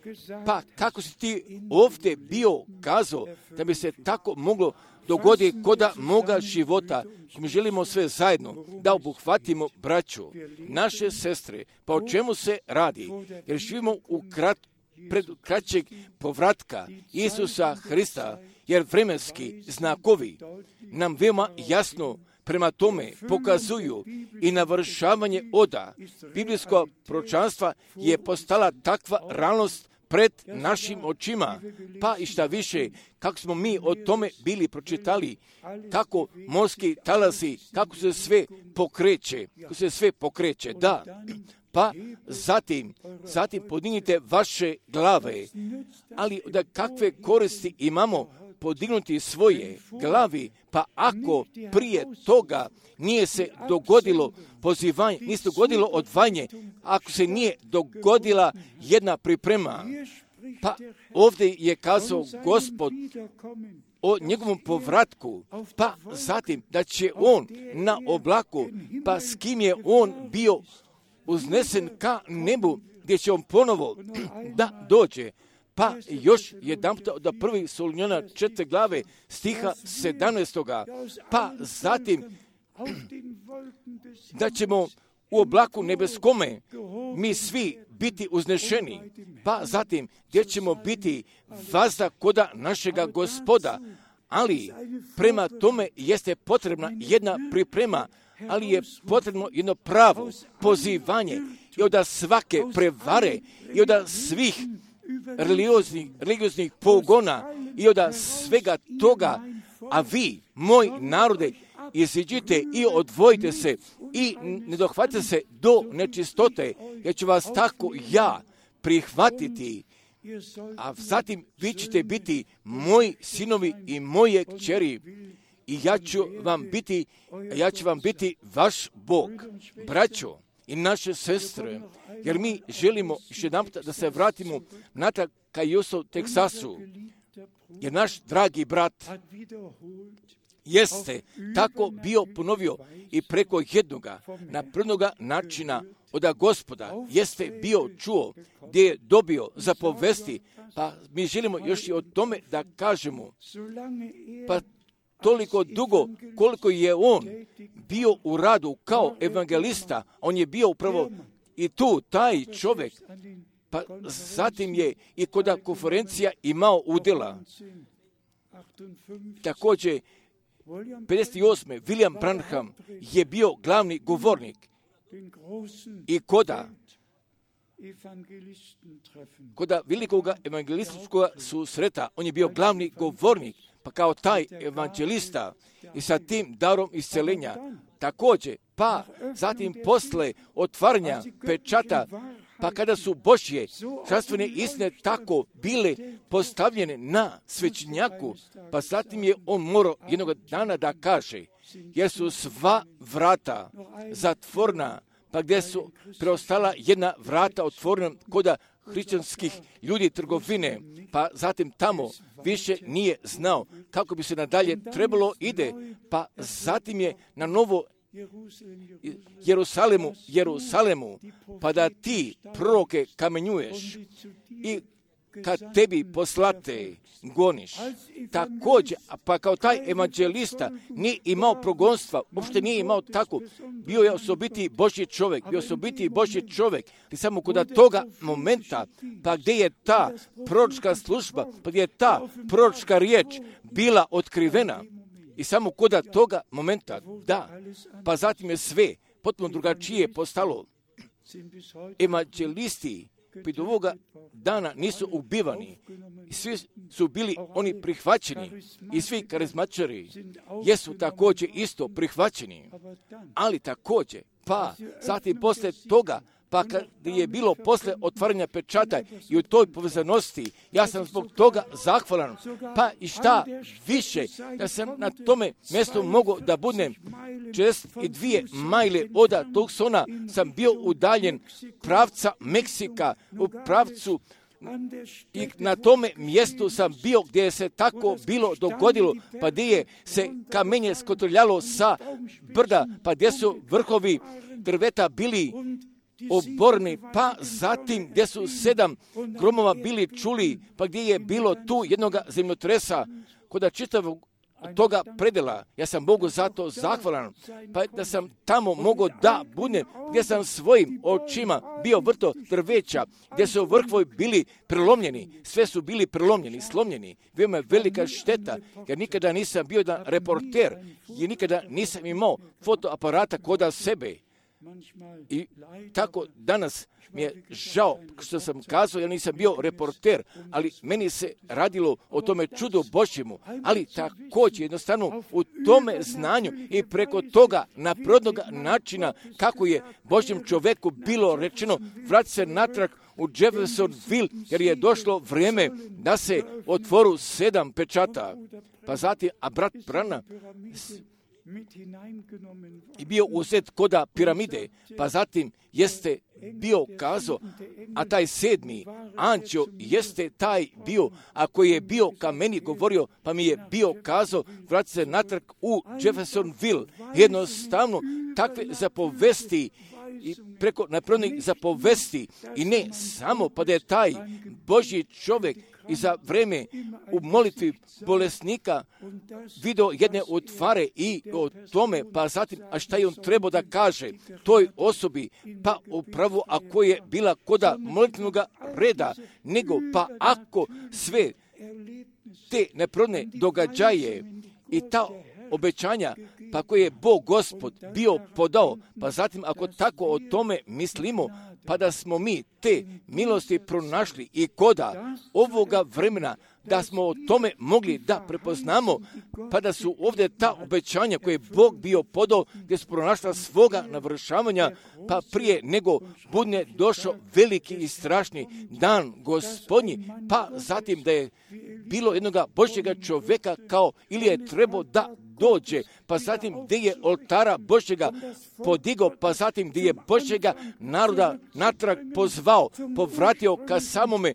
pa kako si Ti ovdje bio kazao, da bi se tako moglo dogoditi koda moga života. Mi želimo sve zajedno da obuhvatimo braću, naše sestre, pa o čemu se radi? Jer živimo pred kraćeg povratka Isusa Hrista, jer vremenski znakovi nam veoma jasno prema tome pokazuju i navršavanje oda biblijskog proročanstva je postala takva realnost pred našim očima. Pa i šta više, kako smo mi o tome bili pročitali, kako morski talasi, kako se sve pokreće, da. Pa zatim podignite vaše glave, ali da kakve koristi imamo podignuti svoje glavi, pa ako prije toga nije se dogodilo pozivanje, nije se dogodilo odvajanje, ako se nije dogodila jedna priprema, pa ovdje je kazao Gospod o njegovom povratku, pa zatim da će on na oblaku, pa s kim je on bio uznesen ka nebu, gdje će on ponovo da dođe. Pa još jedanputa od 1. Solunjana 4. glave stiha 17. Pa zatim da ćemo u oblaku nebeskome mi svi biti uznešeni. Pa zatim gdje ćemo biti vazda koda našega Gospoda. Ali prema tome jeste potrebna jedna priprema, ali je potrebno jedno pravo pozivanje i od svake prevare i od svih religioznih pogona i od svega toga, a vi, moj narode, iziđite i odvojite se i ne dohvatite se do nečistote, jer ću vas tako ja prihvatiti, a zatim vi ćete biti moji sinovi i moje kćeri i ja ću vam biti vaš Bog. Braćo i naše sestre, jer mi želimo još jedanput da se vratimo natrag ka Houston, Teksasu, jer naš dragi brat jeste tako bio ponovio i preko jednoga naprednoga načina od Gospoda jeste bio čuo gdje je dobio zapovesti, pa mi želimo još i o tome da kažemo, pa toliko dugo koliko je on bio u radu kao evangelista, on je bio upravo i tu taj čovjek, pa zatim je i kod konferencija imao udjela. Također 58. William Branham je bio glavni govornik i koda velikog evangelističkog susreta, on je bio glavni govornik, pa kao taj evangelista i sa tim darom isceljenja također, pa zatim posle otvaranja pečata, pa kada su Božje zdravstvene istine tako bile postavljene na svećenjaku, pa zatim je on morao jednog dana da kaže, jer su sva vrata zatvorena, pa gdje su preostala jedna vrata otvorena koda hrišćanskih ljudi trgovine, pa zatim tamo više nije znao kako bi se nadalje trebalo ide, pa zatim je na novo Jerusalemu, Jerusalemu, pa da ti proroke kamenjuješ i kad tebi poslate goniš. Također, pa kao taj evanđelista nije imao progonstva, uopšte nije imao tako, bio je osobiti Božji čovjek, i samo kod toga momenta, pa gdje je ta proročka služba, pa gdje je ta proročka riječ bila otkrivena, i samo kod toga momenta, da, pa zatim je sve potpuno drugačije postalo. Evanđelisti do ovoga dana nisu ubivani. Svi su bili oni prihvaćeni i svi karizmatičari jesu također isto prihvaćeni. Ali također, pa zatim poslije toga, pa kad je bilo posle otvaranja pečata i u toj povezanosti, ja sam zbog toga zahvalan. Pa i šta više, da sam na tome mjestu mogao da budem 42 majle od Tucsona, sam bio udaljen pravca Meksika, u pravcu, i na tome mjestu sam bio gdje je se tako bilo dogodilo, pa gdje je se kamenje skotrljalo sa brda, pa gdje su vrhovi drveta bili oborni, pa zatim gdje su 7 gromova bili čuli, pa gdje je bilo tu jednoga zemljotresa, kod čitavog toga predela. Ja sam Bogu zato zahvalan, pa da sam tamo mogao da budem, gdje sam svojim očima bio vrto drveća, gdje su vrhovi bili prelomljeni, sve su bili prelomljeni, slomljeni. Veoma je velika šteta, jer nikada nisam bio da reporter, i nikada nisam imao fotoaparata kod sebe. I tako danas mi je žao što sam kazao, ja nisam bio reporter, ali meni se radilo o tome čudu Božjemu, ali također jednostavno u tome znanju i preko toga naprodnog načina kako je Božjem čovjeku bilo rečeno vrati se natrag u Jeffersonville, jer je došlo vrijeme da se otvoru 7 pečata. Pa zatim, a brat Branham i bio uzet koda piramide, pa zatim jeste bio kazao, a taj 7. anđeo jeste taj bio, a koji je bio ka meni govorio, pa mi je bio kazao, vrati se natrag u Jeffersonville. Jednostavno, takve zapovesti i preko napravljenih zapovesti, i ne samo pa da je taj Božji čovjek i za vrijeme u molitvi bolesnika vidio jedne utvare i o tome, pa zatim, a šta je on trebao da kaže toj osobi, pa upravo ako je bila koda molitvenog reda, nego pa ako sve te neprirodne događaje i ta obećanja, pa koje je Bog Gospod bio podao, pa zatim ako tako o tome mislimo, pa da smo mi te milosti pronašli i koda ovoga vremena, da smo o tome mogli da prepoznamo, pa da su ovdje ta obećanja koje je Bog bio podao, gdje su pronašla svoga navršavanja, pa prije nego bude došao veliki i strašni dan Gospodnji, pa zatim da je bilo jednoga Božjega čovjeka kao ili je trebao da dođe, pa zatim gdje je oltara Božjega podigao, pa zatim gdje je Božjega naroda natrag pozvao, povratio ka samome,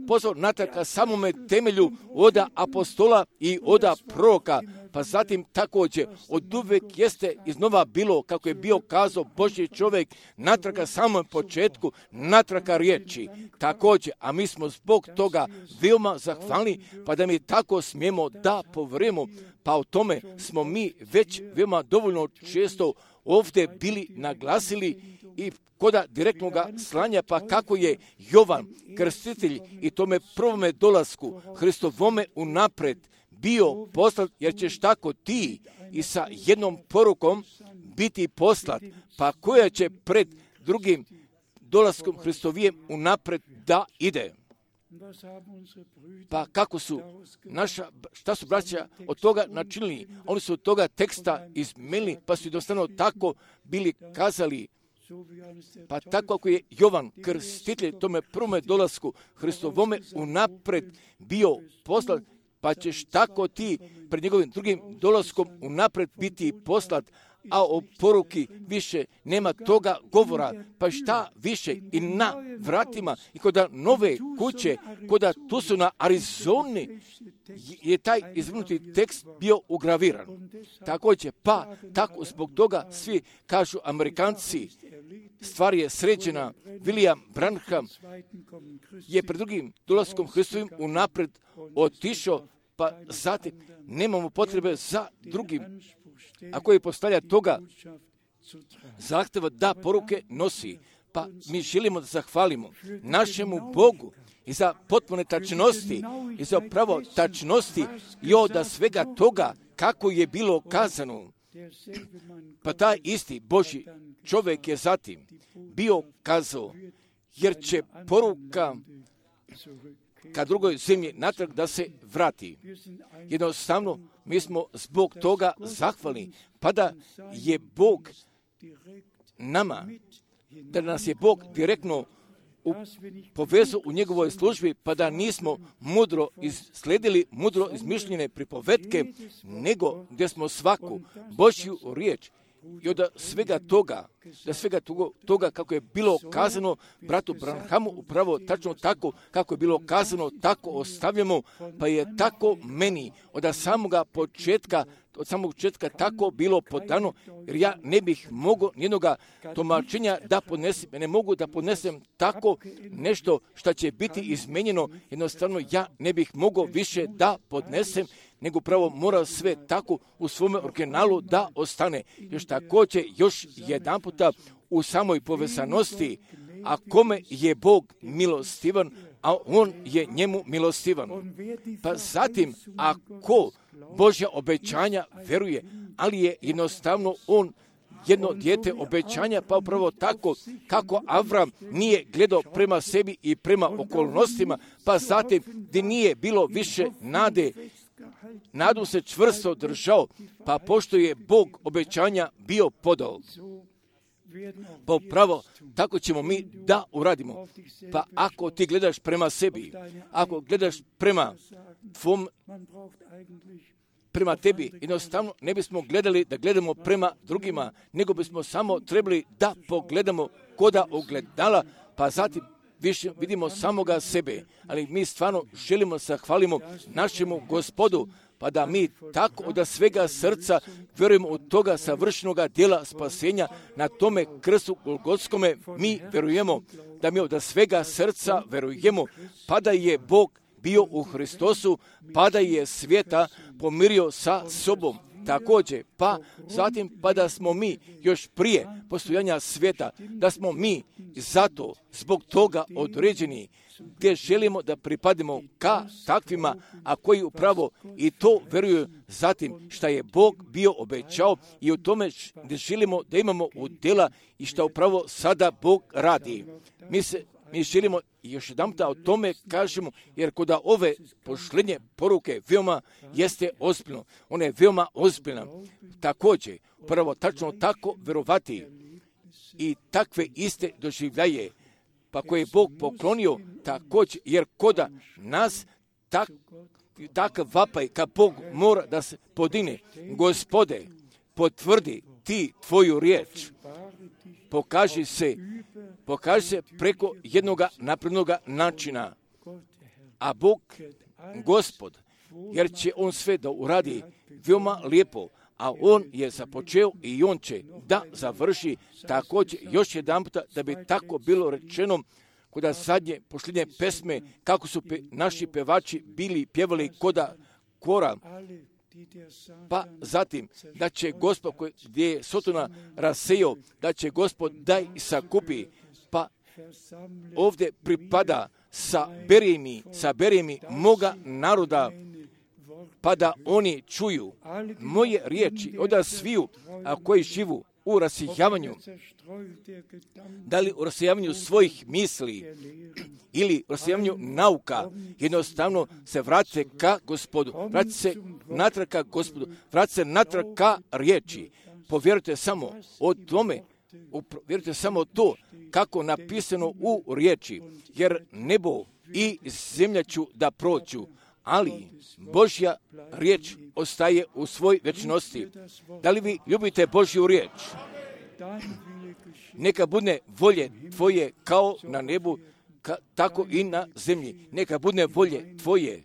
pozvao natrag ka samome temelju oda apostola i oda proroka, pa zatim također od uvek jeste iznova bilo, kako je bio kazao Božji čovjek, natrag ka samom početku, natrag ka riječi. Također, a mi smo zbog toga veoma zahvalni, pa da mi tako smijemo da povremo, pa o tome smo mi već veoma dovoljno često ovdje bili naglasili i koda direktnog slanja, pa kako je Jovan Krstitelj i tome prvome dolasku Hristovome unapred bio poslat, jer ćeš tako ti i sa jednom porukom biti poslat, pa koja će pred drugim dolaskom Hristovijem unapred da ide. Pa kako su šta su braća od toga načinili? Oni su od toga teksta izmenili, pa su jednostavno tako bili kazali. Pa tako ako je Jovan Krstitelj tome prvome dolasku Hristovome unapred bio poslat, pa ćeš tako ti pred njegovim drugim dolaskom unapred biti poslat, a o poruki više nema toga govora, pa šta više i na vratima i kod nove kuće, kod tu su na Arizoni je taj izvrnuti tekst bio ugraviran. Također, pa tako zbog toga svi kažu Amerikanci, stvar je sređena. William Branham je pred drugim dolaskom Hristovim unapred otišao, pa zatim nemamo potrebe za drugim, a koji postavlja toga zahteva da poruke nosi. Pa mi želimo da zahvalimo našemu Bogu i za potpune tačnosti i za pravo tačnosti i od svega toga kako je bilo kazano. Pa taj isti Božji čovjek je zatim bio kazao, jer će poruka ka drugoj zemlji natrag da se vrati. Jednostavno, mi smo zbog toga zahvalni, pa da je Bog nama, da nas je Bog direktno povezao u njegovoj službi, pa da nismo mudro sledili mudro izmišljene pripovetke, nego gdje smo svaku Božju riječ i od svega toga kako je bilo kazano bratu Branhamu, upravo tačno tako kako je bilo kazano, tako ostavljamo, pa je tako meni od samog početka tako bilo podano, jer ja ne bih mogao nijednoga tumačenja da podnesem, ne mogu da podnesem tako nešto što će biti izmenjeno, jednostavno ja ne bih mogao više da podnesem, nego pravo mora sve tako u svome originalu da ostane. Još također, još jedan puta u samoj povezanosti, a kome je Bog milostivan, a on je njemu milostivan. Pa zatim, ako Božja obećanja veruje, ali je jednostavno on jedno dijete obećanja, pa upravo tako kako Avram nije gledao prema sebi i prema okolnostima, pa zatim gdje nije bilo više nade, nadu se čvrsto držao, pa pošto je Bog obećanja bio podao. Pa upravo tako ćemo mi da uradimo. Pa ako ti gledaš prema sebi, ako gledaš prema tebi, jednostavno ne bismo gledali da gledamo prema drugima, nego bismo samo trebali da pogledamo koda ogledala, pa zatim više vidimo samoga sebe. Ali mi stvarno želimo zahvalimo našemu Gospodu, pa da mi tako od svega srca vjerujemo u toga savršenoga djela spasenja na tome krstu Golgotskome. Mi vjerujemo da mi od svega srca vjerujemo, pa da je Bog bio u Hristosu, pa da je svijeta pomirio sa sobom. Također, pa zatim pa da smo mi još prije postojanja svijeta, da smo mi zato zbog toga određeni, gdje želimo da pripadimo ka takvima, a koji upravo i to vjeruju zatim što je Bog bio obećao i u tome gdje želimo da imamo udjela i što upravo sada Bog radi. Mi želimo još jedan puta o tome kažemo, jer kod ove pošlenje poruke veoma jeste ozbiljno. Ona je veoma ozbiljna. Također, prvo tačno tako vjerovati i takve iste doživljaje, pa koje je Bog poklonio također, jer koda nas takav vapaj ka Bog mora da se podine. Gospode, potvrdi ti tvoju riječ. Pokaži se preko jednoga naprednoga načina. A Bog, Gospod, jer će on sve da uradi veoma lijepo, a on je započeo i on će da završi također još jedan puta da bi tako bilo rečeno kod zadnje posljednje pesme kako su naši pevači bili pjevali koda kora. Pa zatim da će Gospod gdje je Sotona rasejao, da će Gospod daj sakupi, pa ovdje pripada sa beremi moga naroda, pa da oni čuju moje riječi od sviju, a koji živu u rasijavanju, da li u rasijavanju svojih misli ili u rasijavanju nauka, jednostavno se vrate ka Gospodu, vrate se natrag ka Gospodu, vrate se natrag ka riječi. Povjerujte samo o tome, vjerujte samo to kako napisano u riječi, jer nebo i zemlja ću da prođu, ali Božja riječ ostaje u svoj večnosti. Da li vi ljubite Božju riječ? Neka bude volje tvoje kao na nebu, tako i na zemlji. Neka bude volje tvoje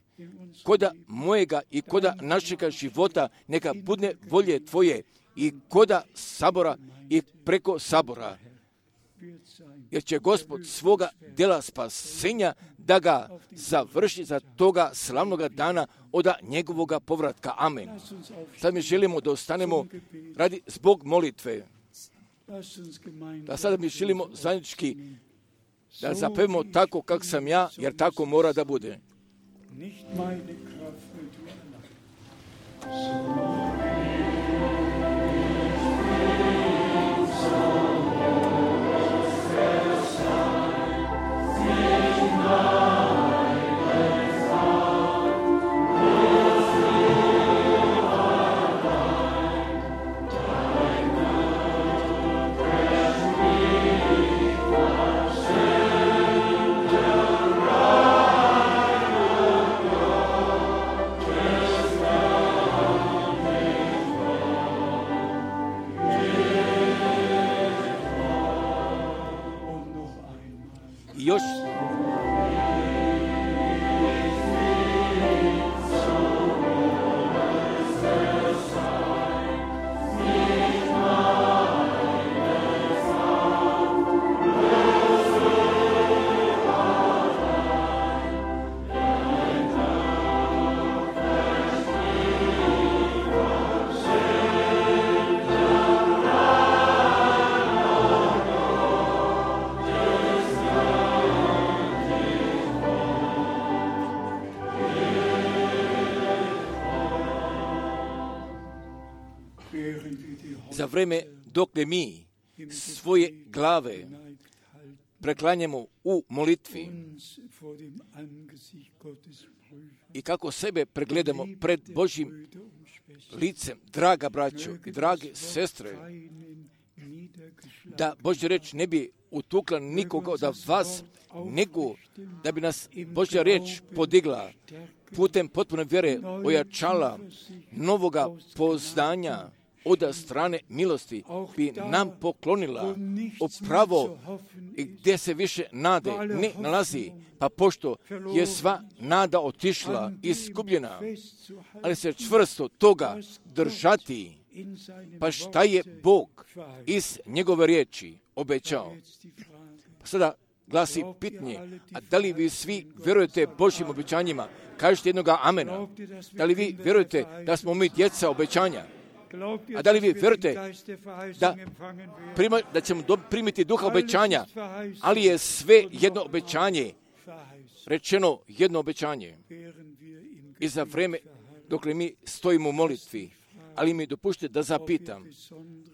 koda mojega i koda našega života, neka bude volje tvoje i koda sabora i preko sabora. Jer će Gospod svoga djela spasenja da ga završi za toga slavnoga dana od njegovoga povratka. Amen. Sad mi želimo da ostanemo radi zbog molitve. Da sada mi želimo zajednički da zapevamo tako kako sam ja, jer tako mora da bude. Još za vreme dok ne mi svoje glave preklanjamo u molitvi i kako sebe pregledamo pred Božjim licem, draga braćo i drage sestre, da Božja reč ne bi utukla nikoga od vas, nego da bi nas Božja reč podigla putem potpune vjere, ojačala novoga poznanja od strane milosti, bi nam poklonila upravo gdje se više nade ne nalazi, pa pošto je sva nada otišla, izgubljena, ali se čvrsto toga držati, pa šta je Bog iz njegove riječi obećao. Pa sada glasi pitanje, a da li vi svi vjerujete Božjim obećanjima? Kažete jednoga amena. Da li vi vjerujete da smo mi djeca obećanja? A da li vi vjerujete da ćemo primiti duha obećanja, ali je sve jedno obećanje, rečeno jedno obećanje. I za vreme dok mi stojimo u molitvi, ali mi dopušte da zapitam,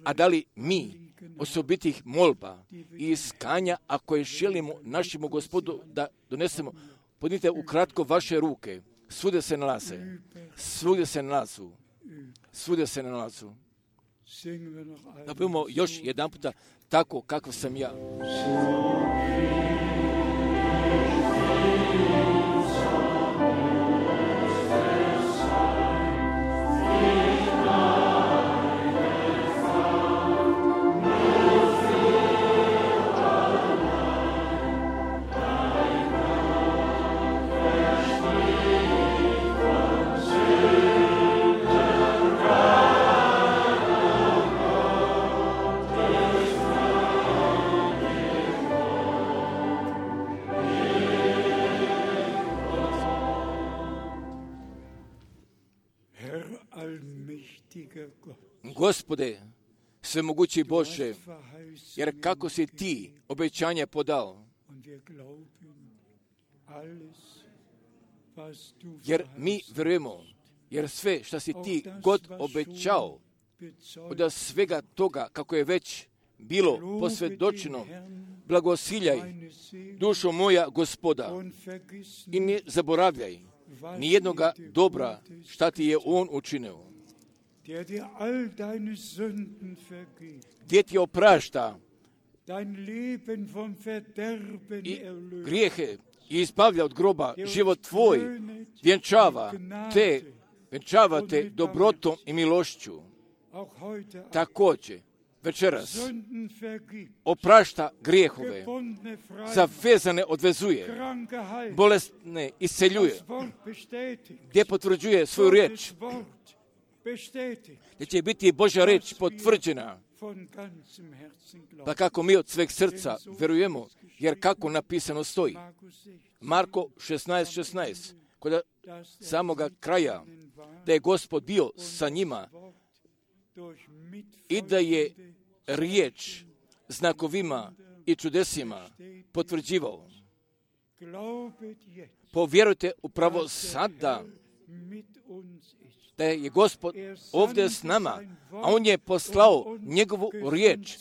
a da li mi osobitih molba i iskanja, ako je želimo našemu Gospodu da donesemo, podnite ukratko vaše ruke, svude se nalaze, svugdje se nalazu. Svuda se nalazu. Da budemo još jedan puta tako kako sam ja. Gospode, svemogući Bože, jer kako si ti obećanje podao, jer mi vjerujemo, jer sve što si ti god obećao, od svega toga kako je već bilo posvjedočeno, blagosiljaj dušo moja Gospoda i ne zaboravljaj ni jednoga dobra šta ti je On učinio. Gdje ti oprašta i grijehe i izbavlja od groba život tvoj vjenčavate dobrotom i milošću. Također, večeras oprašta grijehove, zavezane odvezuje, bolesne isceljuje, gdje potvrđuje svoju riječ, gdje će biti Božja riječ potvrđena. Pa kako mi od sveg srca verujemo, jer kako napisano stoji. Marko 16:16, kod samoga kraja, da je Gospod bio sa njima i da je riječ znakovima i čudesima potvrđivao. Povjerujte upravo sada da je Gospod ovdje s nama, a On je poslao njegovu riječ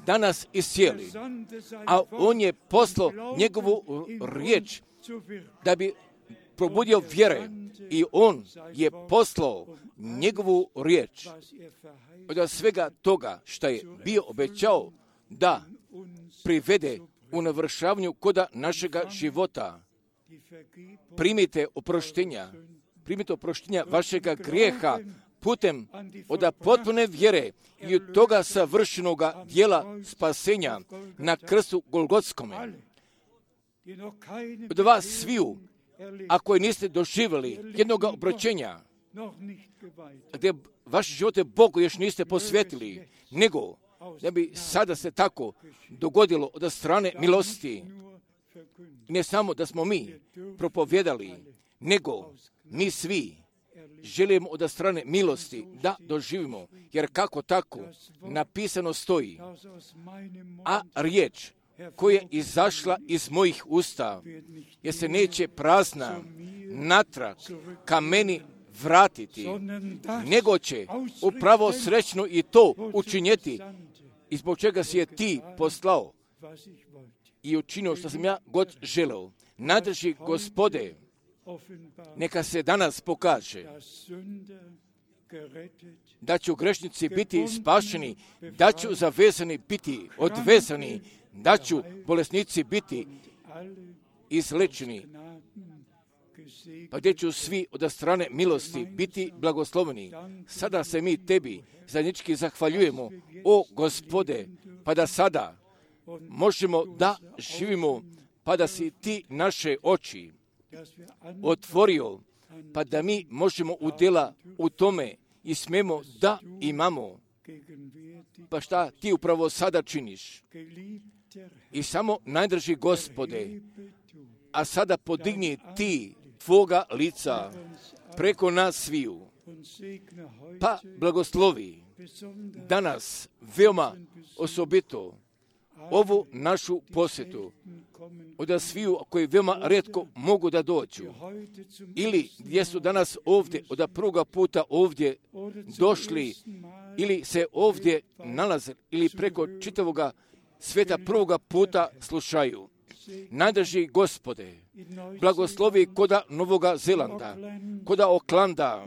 da nas iscijeli. A On je poslao njegovu riječ da bi probudio vjere i On je poslao njegovu riječ od svega toga što je bio obećao da privede u navršavanju koda našega života. Primite oproštenja vašega grijeha putem od potpune vjere i od toga savršenoga dijela spasenja na krstu Golgotskome. Od vas sviju, ako niste doživjeli jednog obraćenja, gdje vaše živote Bogu još niste posvetili, nego da bi sada se tako dogodilo od strane milosti. Ne samo da smo mi propovjedali, nego mi svi želimo od strane milosti da doživimo, jer kako tako napisano stoji, a riječ koja je izašla iz mojih usta, jer se neće prazna natrag ka meni vratiti, nego će upravo srećno i to učinjeti, i zbog čega si je ti poslao i učinio što sam ja god želeo. Nadrži Gospode, neka se danas pokaže da će grešnici biti spašeni, da će zavezani biti odvezani, da će bolesnici biti izlečeni, pa gdje će svi od strane milosti biti blagosloveni. Sada se mi tebi zajednički zahvaljujemo, o Gospode, pa da sada možemo da živimo, pa da si ti naše oči otvorio, pa da mi možemo udjela u tome i smemo da imamo. Pa šta ti upravo sada činiš? I samo najdrži Gospode, a sada podigni ti tvoga lica preko nas sviju, pa blagoslovi danas veoma osobito ovu našu posjetu od sviju koji veoma rijetko mogu da dođu ili gdje su danas ovdje od prvoga puta ovdje došli ili se ovdje nalaze ili preko čitavoga svijeta prvoga puta slušaju. Nadrži Gospode, blagoslovi koda Novoga Zelanda, koda Oklanda,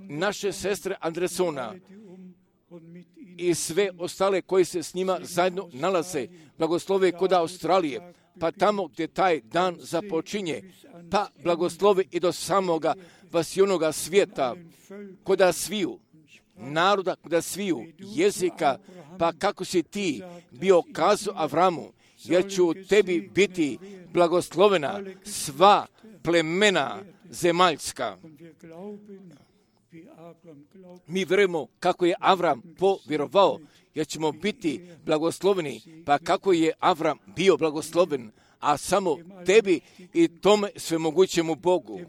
naše sestre Andresona i sve ostale koji se s njima zajedno nalaze, blagoslovi koda Australije, pa tamo gdje taj dan započinje, pa blagoslovi i do samoga vasionoga svijeta, koda sviju naroda, koda sviju jezika, pa kako si ti bio kazao Avramu, jer će u tebi biti blagoslovena sva plemena zemaljska. Mi vjerujemo kako je Avram povjerovao, jer ćemo biti blagosloveni, pa kako je Avram bio blagosloven, a samo tebi i tome svemogućemu Bogu,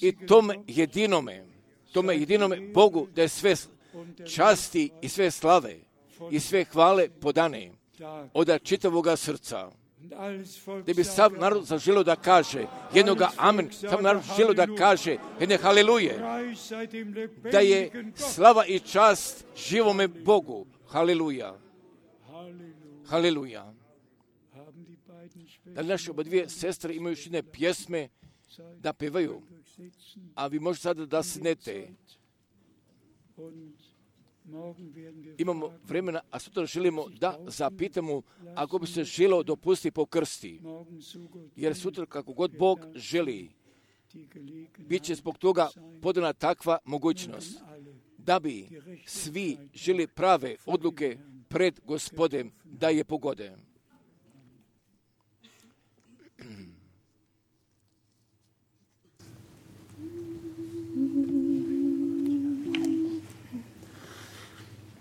i tome jedinome Bogu da je sve časti i sve slave i sve hvale podane od čitavoga srca. Da bi sav narod zaželio da kaže jednoga amen, sav narod želio da kaže jedne haleluje, da je slava i čast živome Bogu. Haleluja. Haleluja. Da li naše oba dvije sestre imaju još jedne pjesme da pevaju, a vi možete sada da sednete. Imamo vremena, a sutra želimo da zapitamo ako bi se želio dopustiti po krsti. Jer sutra kako god Bog želi, bit će zbog toga podana takva mogućnost, da bi svi žili prave odluke pred Gospodem da je pogode.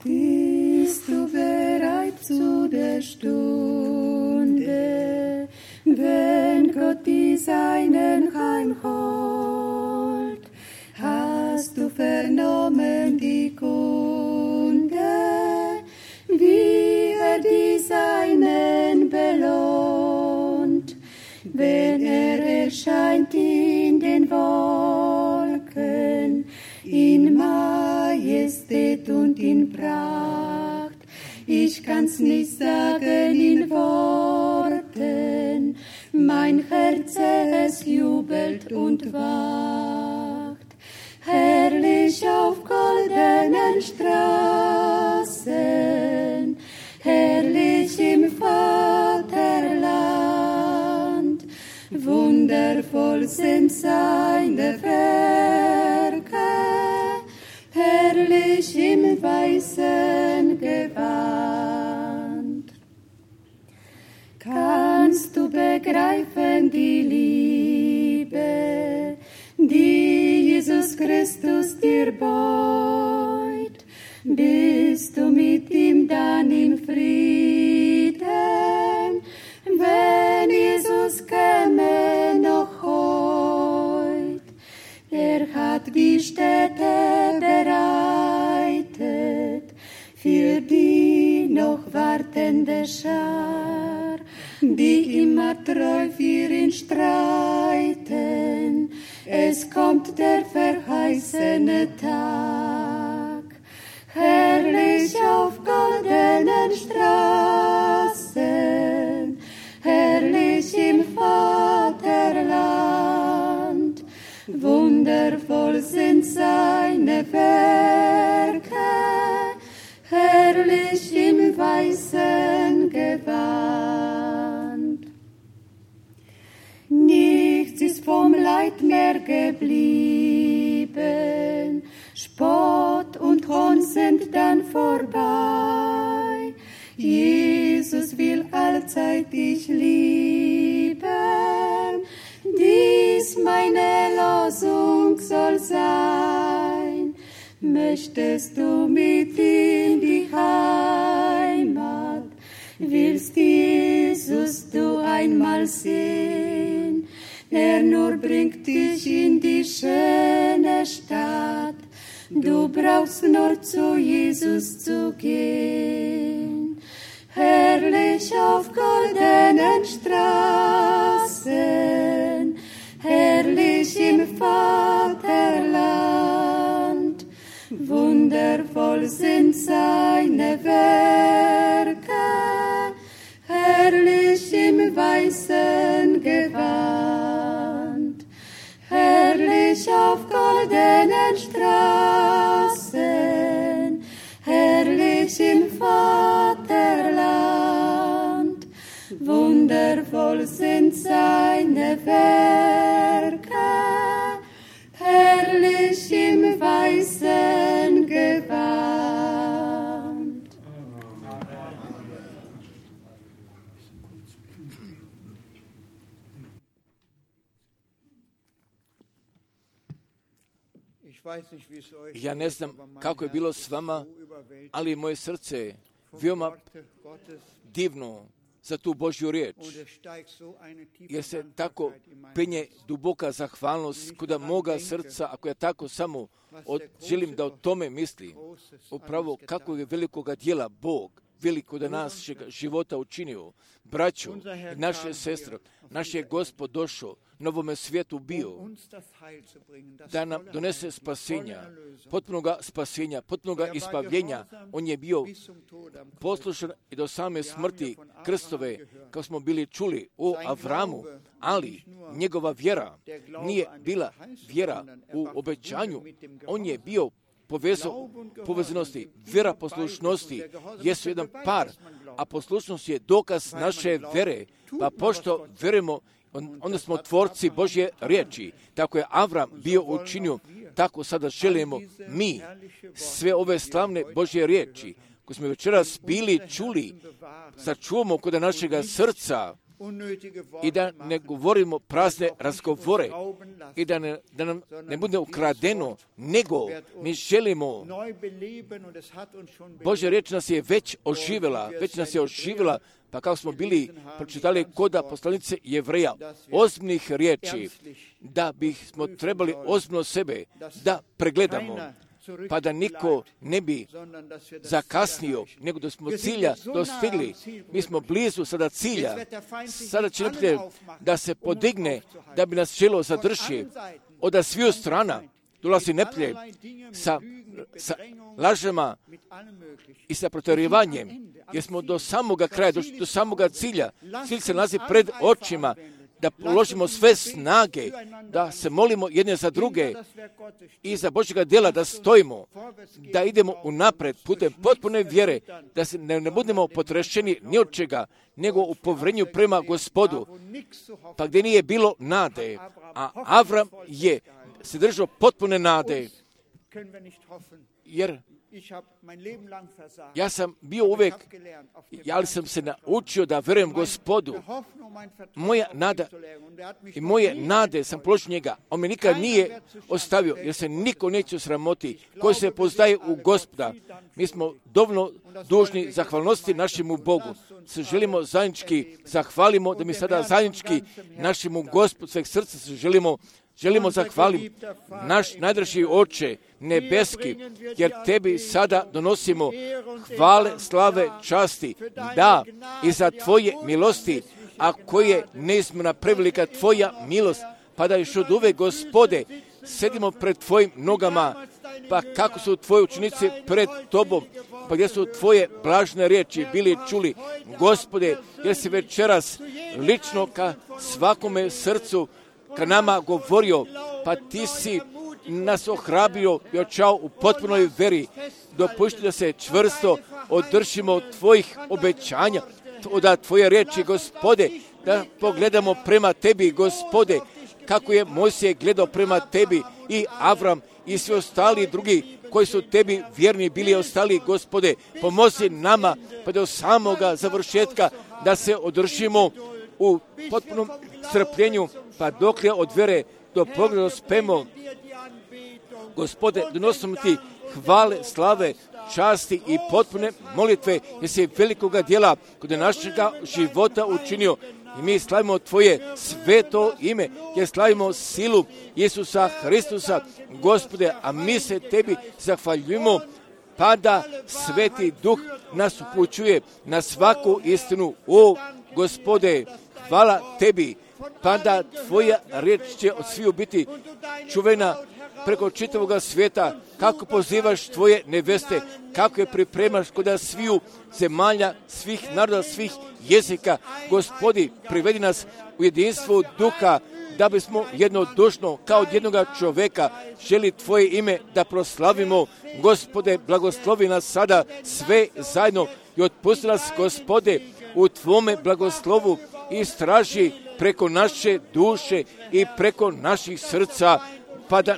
Bist du bereit zu der Stunde, wenn Gott die Seinen heimholt? Hast du vernommen die Kunde, wie die Seinen belohnt, wenn erscheint in den Wolken, in Majestät und in Pracht. Ich kann's nicht sagen in Worten, mein Herz es jubelt und wacht. Herrlich auf goldenen Straßen, herrlich im Vaterland, wundervoll sind seine Werke, herrlich im weißen Gewand. Kannst du begreifen die Liebe, die Jesus Christus dir beut? Bist du mit ihm dann im Frieden, wenn Jesus käme noch heut? Er hat die Städte bereitet für die noch wartende Schar, die immer treu für ihn streiten. Es kommt der verheißene Tag, herrlich auf goldenen Straßen, herrlich im Vaterland, wundervoll sind seine Werke, herrlich im weißen Gewand. Nichts ist vom Leid mehr geblieben, Spott und Hohn sind dann vorbei. Jesus will allzeit dich lieben, dies meine Losung soll sein. Möchtest du mit in die Heimat, willst Jesus du einmal sehen? Er nur bringt dich in die schöne Stadt, du brauchst nur zu Jesus zu gehen. Herrlich auf goldenen Straßen, herrlich im Vaterland, wundervoll sind seine Werke, herrlich im weißen Gewand, herrlich auf goldenen Straßen, herrlich im Vaterland, wundervoll sind seine Werke, herrlich im weißen Gewand.
Ja ne znam kako je bilo s vama, ali moje srce je veoma divno za tu Božju riječ, jer se tako penje duboka zahvalnost kuda moga srca, ako ja tako samo želim da o tome mislim, upravo kako je velikoga djela Bog veliko da našeg života učinio, braćo i naše sestre, naš je Gospod došao, novome svijetu bio, da nam donese spasenja, potpunoga ispavljenja. On je bio poslušan i do same smrti krstove, kao smo bili čuli o Avramu, ali njegova vjera nije bila vjera u obećanju, on je bio povezanosti, vjera poslušnosti jesu jedan par, a poslušnost je dokaz naše vere, pa pošto verujemo onda smo tvorci Božje riječi. Tako je Avram bio učinio, tako sada želimo mi sve ove slavne Božje riječi koje smo večeras bili čuli, sačuvamo kod našega srca i da ne govorimo prazne razgovore i da nam ne bude ukradeno, nego mi želimo. Božja riječ nas je već oživjela, pa kako smo bili pročitali kod poslanice Jevreja, ozbiljnih riječi, da bismo trebali ozbiljno sebe da pregledamo, pa da niko ne bi zakasnio, nego da smo cilja dostigli. Mi smo blizu sada cilja. Sada će neprijatelj da se podigne, da bi nas želio zadržati. Od sviju strana dolazi neprijatelj sa lažima i sa protjerivanjem, jer smo do samoga kraja, do samoga cilja. Cilj se nalazi pred očima, da položimo sve snage, da se molimo jedne za druge i za Božjega djela da stojimo, da idemo unapred putem potpune vjere, da se ne budemo potrešeni ni od čega, nego u povjerenju prema Gospodu. Pa gdje nije bilo nade, a Avram je se držao potpune nade, jer ja sam bio uvijek, ali sam se naučio da vjerujem Gospodu. Moja nada i moje nade sam položio njega. On me nikad nije ostavio, jer se niko neće sramoti koji se poznaje u Gospoda. Mi smo dovoljno dužni zahvalnosti našemu Bogu. Se želimo zajednički zahvalimo, da mi sada zajednički našemu Gospodu sveg srca se želimo zahvaliti, naš najdraži Oče nebeski, jer tebi sada donosimo hvale, slave, časti, da, i za tvoje milosti, a koje neizmjerna prevelika tvoja milost, pa da još od uvek, Gospode, sedimo pred tvojim nogama, pa kako su tvoji učenici pred tobom, pa gdje su tvoje blažne riječi bili čuli, Gospode, jer si večeras lično ka svakome srcu ka nama govorio, pa ti si nas ohrabrio i očao u potpunoj veri. Dopušti da se čvrsto održimo od tvojih obećanja, od tvoje riječi, Gospode, da pogledamo prema tebi, Gospode, kako je Mojsije gledao prema tebi i Avram i svi ostali drugi koji su tebi vjerni bili ostali, Gospode, pomozi nama pa do samoga završetka da se održimo u potpunom strpljenju, pa dok je od vere do pogleda spemo. Gospode, donosimo ti hvale, slave, časti i potpune molitve, jer si velikoga djela kod našega života učinio. I mi slavimo tvoje sveto ime, jer slavimo silu Isusa Hristusa, Gospode, a mi se tebi zahvaljujemo, pa da Sveti Duh nas upućuje na svaku istinu. O Gospode, hvala tebi, pa da tvoja riječ će od sviju biti čuvena preko čitavoga svijeta, kako pozivaš tvoje neveste, kako je pripremaš kod sviju zemalja, svih naroda, svih jezika. Gospodi, privedi nas u jedinstvo duha, da bismo jednodušno, kao od jednoga čovjeka, želi tvoje ime da proslavimo. Gospode, blagoslovi nas sada sve zajedno i otpusti nas, Gospode, u tvome blagoslovu i istraži preko naše duše i preko naših srca, pa da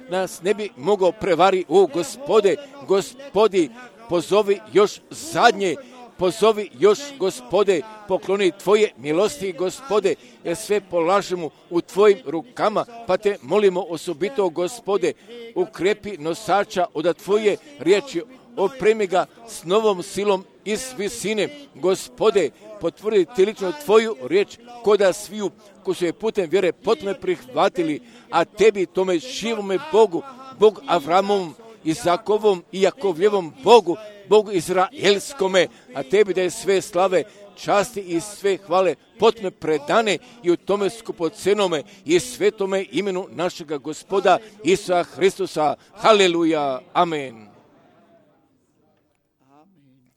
nas ne bi mogao prevari. O Gospode, Gospodi, pozovi još zadnje, pozovi još, Gospode, pokloni tvoje milosti, Gospode, jer sve polažemo u tvojim rukama, pa te molimo osobito, Gospode, ukrepi nosača od tvoje riječi, opremi ga s novom silom iz visine. Gospode, potvrdi ti lično tvoju riječ koda sviju koji su je putem vjere potpuno prihvatili, a tebi, tome živome Bogu, Bog Avramovom, Izakovom i Jakovljevom Bogu, Bogu Izraelskome, a tebi da je sve slave, časti i sve hvale potpuno predane i u tome skupocenome i svetome imenu našega Gospoda Isusa Hristusa. Haleluja. Amen.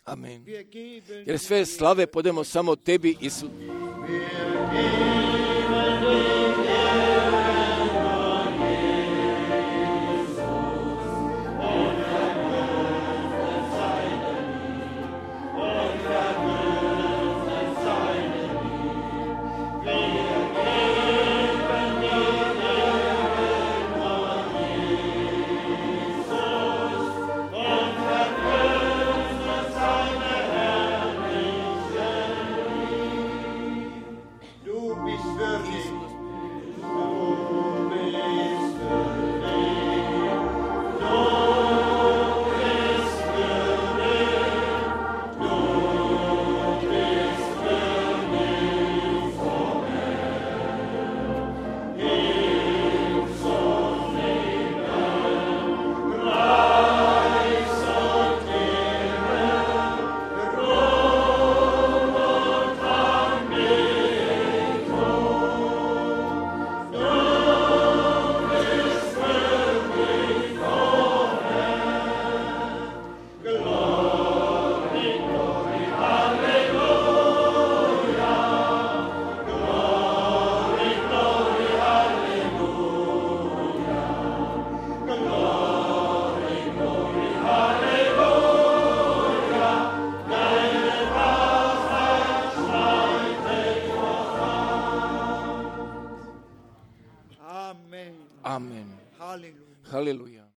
Amen. Jer sve slave podemo samo tebi, Isus.
Wir
Amen.
Halleluja.
Haleluja.